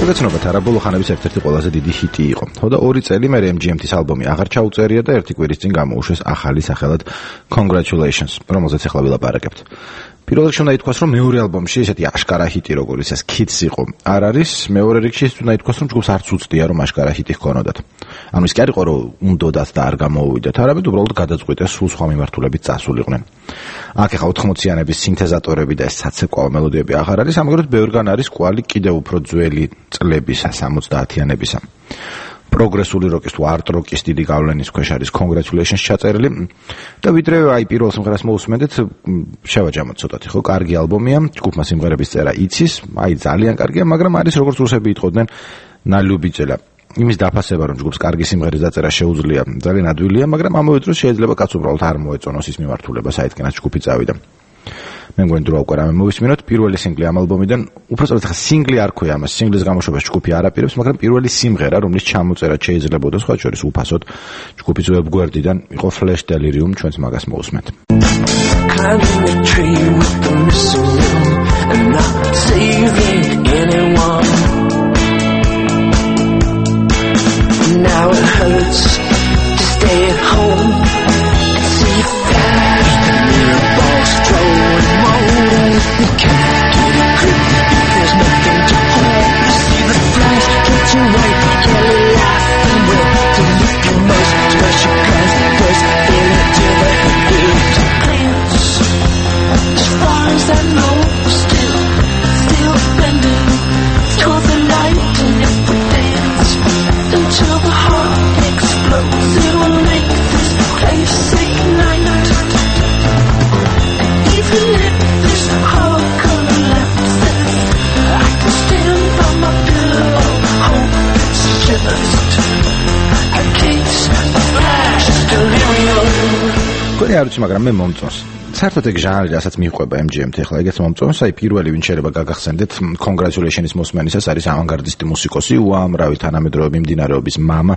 გეცნობათ არა ბოლო ხანების ერთ-ერთი ყველაზე დიდი ჰიტი იყო. თორე ორი წელი მერე M G M T-ის ალბომი აღარ ჩაუწერია და ერთი კვირის წინ გამოუშვეს ახალი სახელად Congratulations, რომელზეც ახლა ვილაპარაკებთ. პირველ რიგში უნდა ითქვას, რომ მეორე ალბომში ესეთი აშკარა ჰიტი როგორც ეს Kids იყო არ არის, მეორე რიგში ის უნდა ითქვას, რომ ჯგუფს არც უცდია რომ აშკარა ჰიტი ჰქონოდათ. ანუ ის კი არ იყო რომ უნდოდათ და არ გამოუვიდათ, არამედ უბრალოდ გადაწყვიტეს სულ სხვა მიმართულებით წასულიყვნენ. აქ ახლა ოთხმოციანების სინთეზატორები და ეს საცეკვაო მელოდიები აღარ არის, ამგვარად ბევრგან არის კვალი კიდევ უფრო ძველი წლებისა, სამოცდაათიანებისა. პროგრესული როკის თუ არტ როკის დიდი გავლენის ქვეშ არის Congratulations ჩაწერილი და ვიდრე აი პირველ სიმღერას მოусმენდეთ, შევაჯამოთ ცოტათი, ხო, კარგი ალბომია, ჯგუფმა სიმღერების წერა იცის, აი ძალიან კარგია, მაგრამ არის როგორც რუსები იტყოდნენ, ნალიუბიძელა. იმის დაფასება, რომ ჯგუფს კარგი სიმღერის დაწერა შეუძლია, ძალიან ადვილია, მაგრამ ამავე დროს შეიძლება კაც უბრალოდ არ მოეწონოს ის მიმართულება, საიდანაც ჯგუფი წავიდა. მე მგონი თუ რა უკვე რამე მოვისმინოთ, პირველი სინგლი ამ ალბომიდან, უბრალოდ ხა სინგლი არ ქვია ამას, სინგლის გამოშვებას ჯგუფი არ აპირებს, მაგრამ პირველი სიმღერა, რომლის ჩამოწერა შეიძლებოდა სხვა შორის უფასოდ ჯგუფის ვებგვერდიდან, იყო Flash Delirium, ჩვენც მაგას მოვუსმენთ. Now it hurts to stay at home. See flash, the mirror balls throwing motors. You can't get a grip, there's nothing to hold. You see the flash, get you right, yellow life and will to lift your most special class. First, feel it till the head feels to cleanse. As far as I know, still, still bending toward the light and every dance. Until the heart explodes, it will make this place ignite. Even if this heart collapses, I can stand by my pillow, hope it's just a case of flash delirium. გონი არ ვიცი, მაგრამ მე მომწონს. საერთოდ ეგ ჟანრი, რასაც მიყვება M G M T, ახლა ეგეც მომწონს, აი პირველი ვინ შეიძლება გაგახსენდეთ Congratulations მოსმენისას არის ავანგარდისტი მუსიკოსი, უამრავი თანამედროვე მიმდინარეობის მამა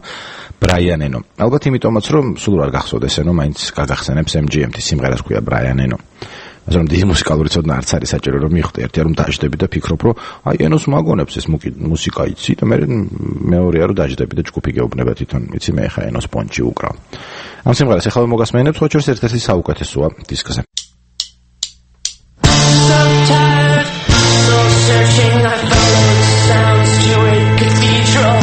Brian Eno. ალბათ იმიტომაც რომ სულ არ გახსოვდეს Eno, მაინც გაგახსენებს M G M T სიმღერას ქვია Brian Eno. ასე რომ დიდი მუსიკალური ცოდნა არც არის საჭირო რომ მიხვდე, ერთია რომ დაждები და ფიქრობ რომ აი Enos მაგონებს ეს მუსიკა იცი და მე მეორეა რომ დაждები და ჯგუფი გეუბნება თვითონ, იცი მე ხა Enos პონჩი უკრავ. ამ სიმღერას ახლა მოგასმენებ, სხვა შორის ერთ-ერთი საუკეთესოა დისკზე. Searching, I followed sounds to a cathedral.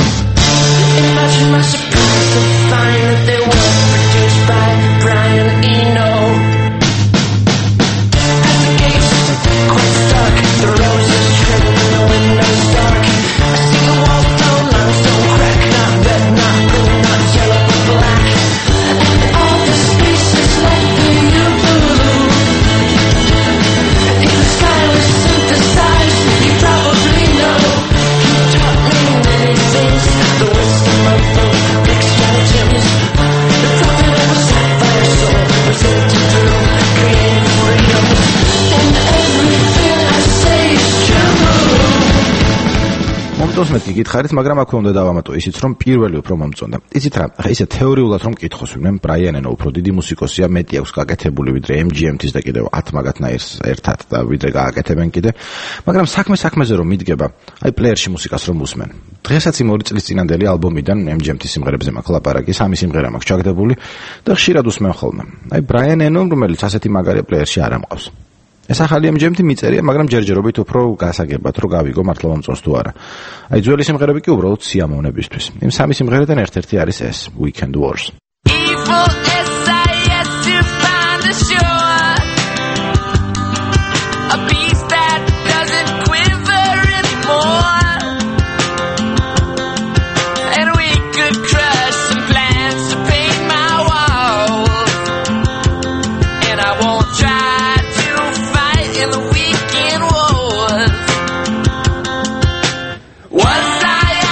Imagine my surprise to find that they were produced by Brian Eno. At the gates, quite dark, the roses trim, the windows dark. I see the walls down, limestone crack, not red, not blue, not yellow, but black. And all the spaces like the blue. თვითონს მეთქი გითხარით, მაგრამ აქვე უნდა დავამატო ისიც, რომ პირველი უფრო მომწონდა. იცით რა, ხა ისე თეორიულად რომ მკითხოს, ვინმე ბრაიან ენო უფრო დიდი მუსიკოსია, მეტი აქვს გაკეთებული ვიდრე M G M-ის და კიდევ ათ მაგათნაირს ერთად და ვიდრე გააკეთებენ კიდე. მაგრამ საქმე საქმეზე რომ მიდგება, აი პლეიერში მუსიკას რომ უსმენ. დღესაც იმ ორი წლის წინანდელი ალბომიდან M G M-ის სიმღერებზე მაქვს ლაპარაკი, სამი სიმღერა მაქვს ჩაგდებული და ხშირად უსმენ ხოლმე. აი ბრაიან ენო, რომელიც ასეთი მაგარი პლეიერში არ ამყავს. ეს ახალი M G M-ი მიწერია, მაგრამ ჯერჯერობით უფრო გასაგებად, რომ გავიგო მართლა მომწონს თუ არა. აი ძველი სიმღერები კი უბრალოდ სიამოვნებისთვის. იმ სამი სიმღერიდან ერთ-ერთი არის ეს Weekend Wars.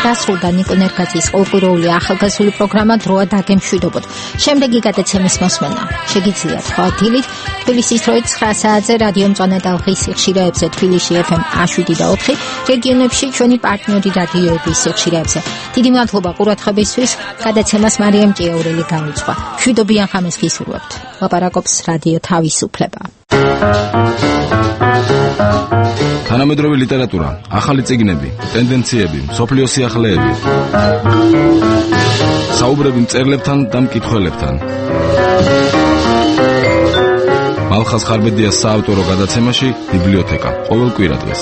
დასრულდა ნიკო ნერგაძის ყოველკვირეული ახალგაზრდული პროგრამა დროა დაგემშვიდობოთ. შემდეგი გადაცემის მოსმენა შეგიძლიათ სხვა დილით თბილისის დროით ცხრა საათზე რადიო მწვანე ტალღის სიხშირეებზე თბილისში F M one seven და four რეგიონებში ჩვენი პარტნიორი რადიოების სიხშირეებზე. დიდი მადლობა ყურადღებისთვის. გადაცემას მარიამ ჭიაურელი გამიწყვა. მშვიდობიან ხამეს გისურვებთ. ლაპარაკობს რადიო თავისუფლება. თანამედროვე ლიტერატურა, ახალი წიგნები, ტენდენციები, მსოფლიო სიახლეები. საუბრები მწერლებთან და მკითხველებთან. მალხაზ ხარბედიას საავტორო გადაცემაში ბიბლიოთეკა, ყოველ კვირა დღეს.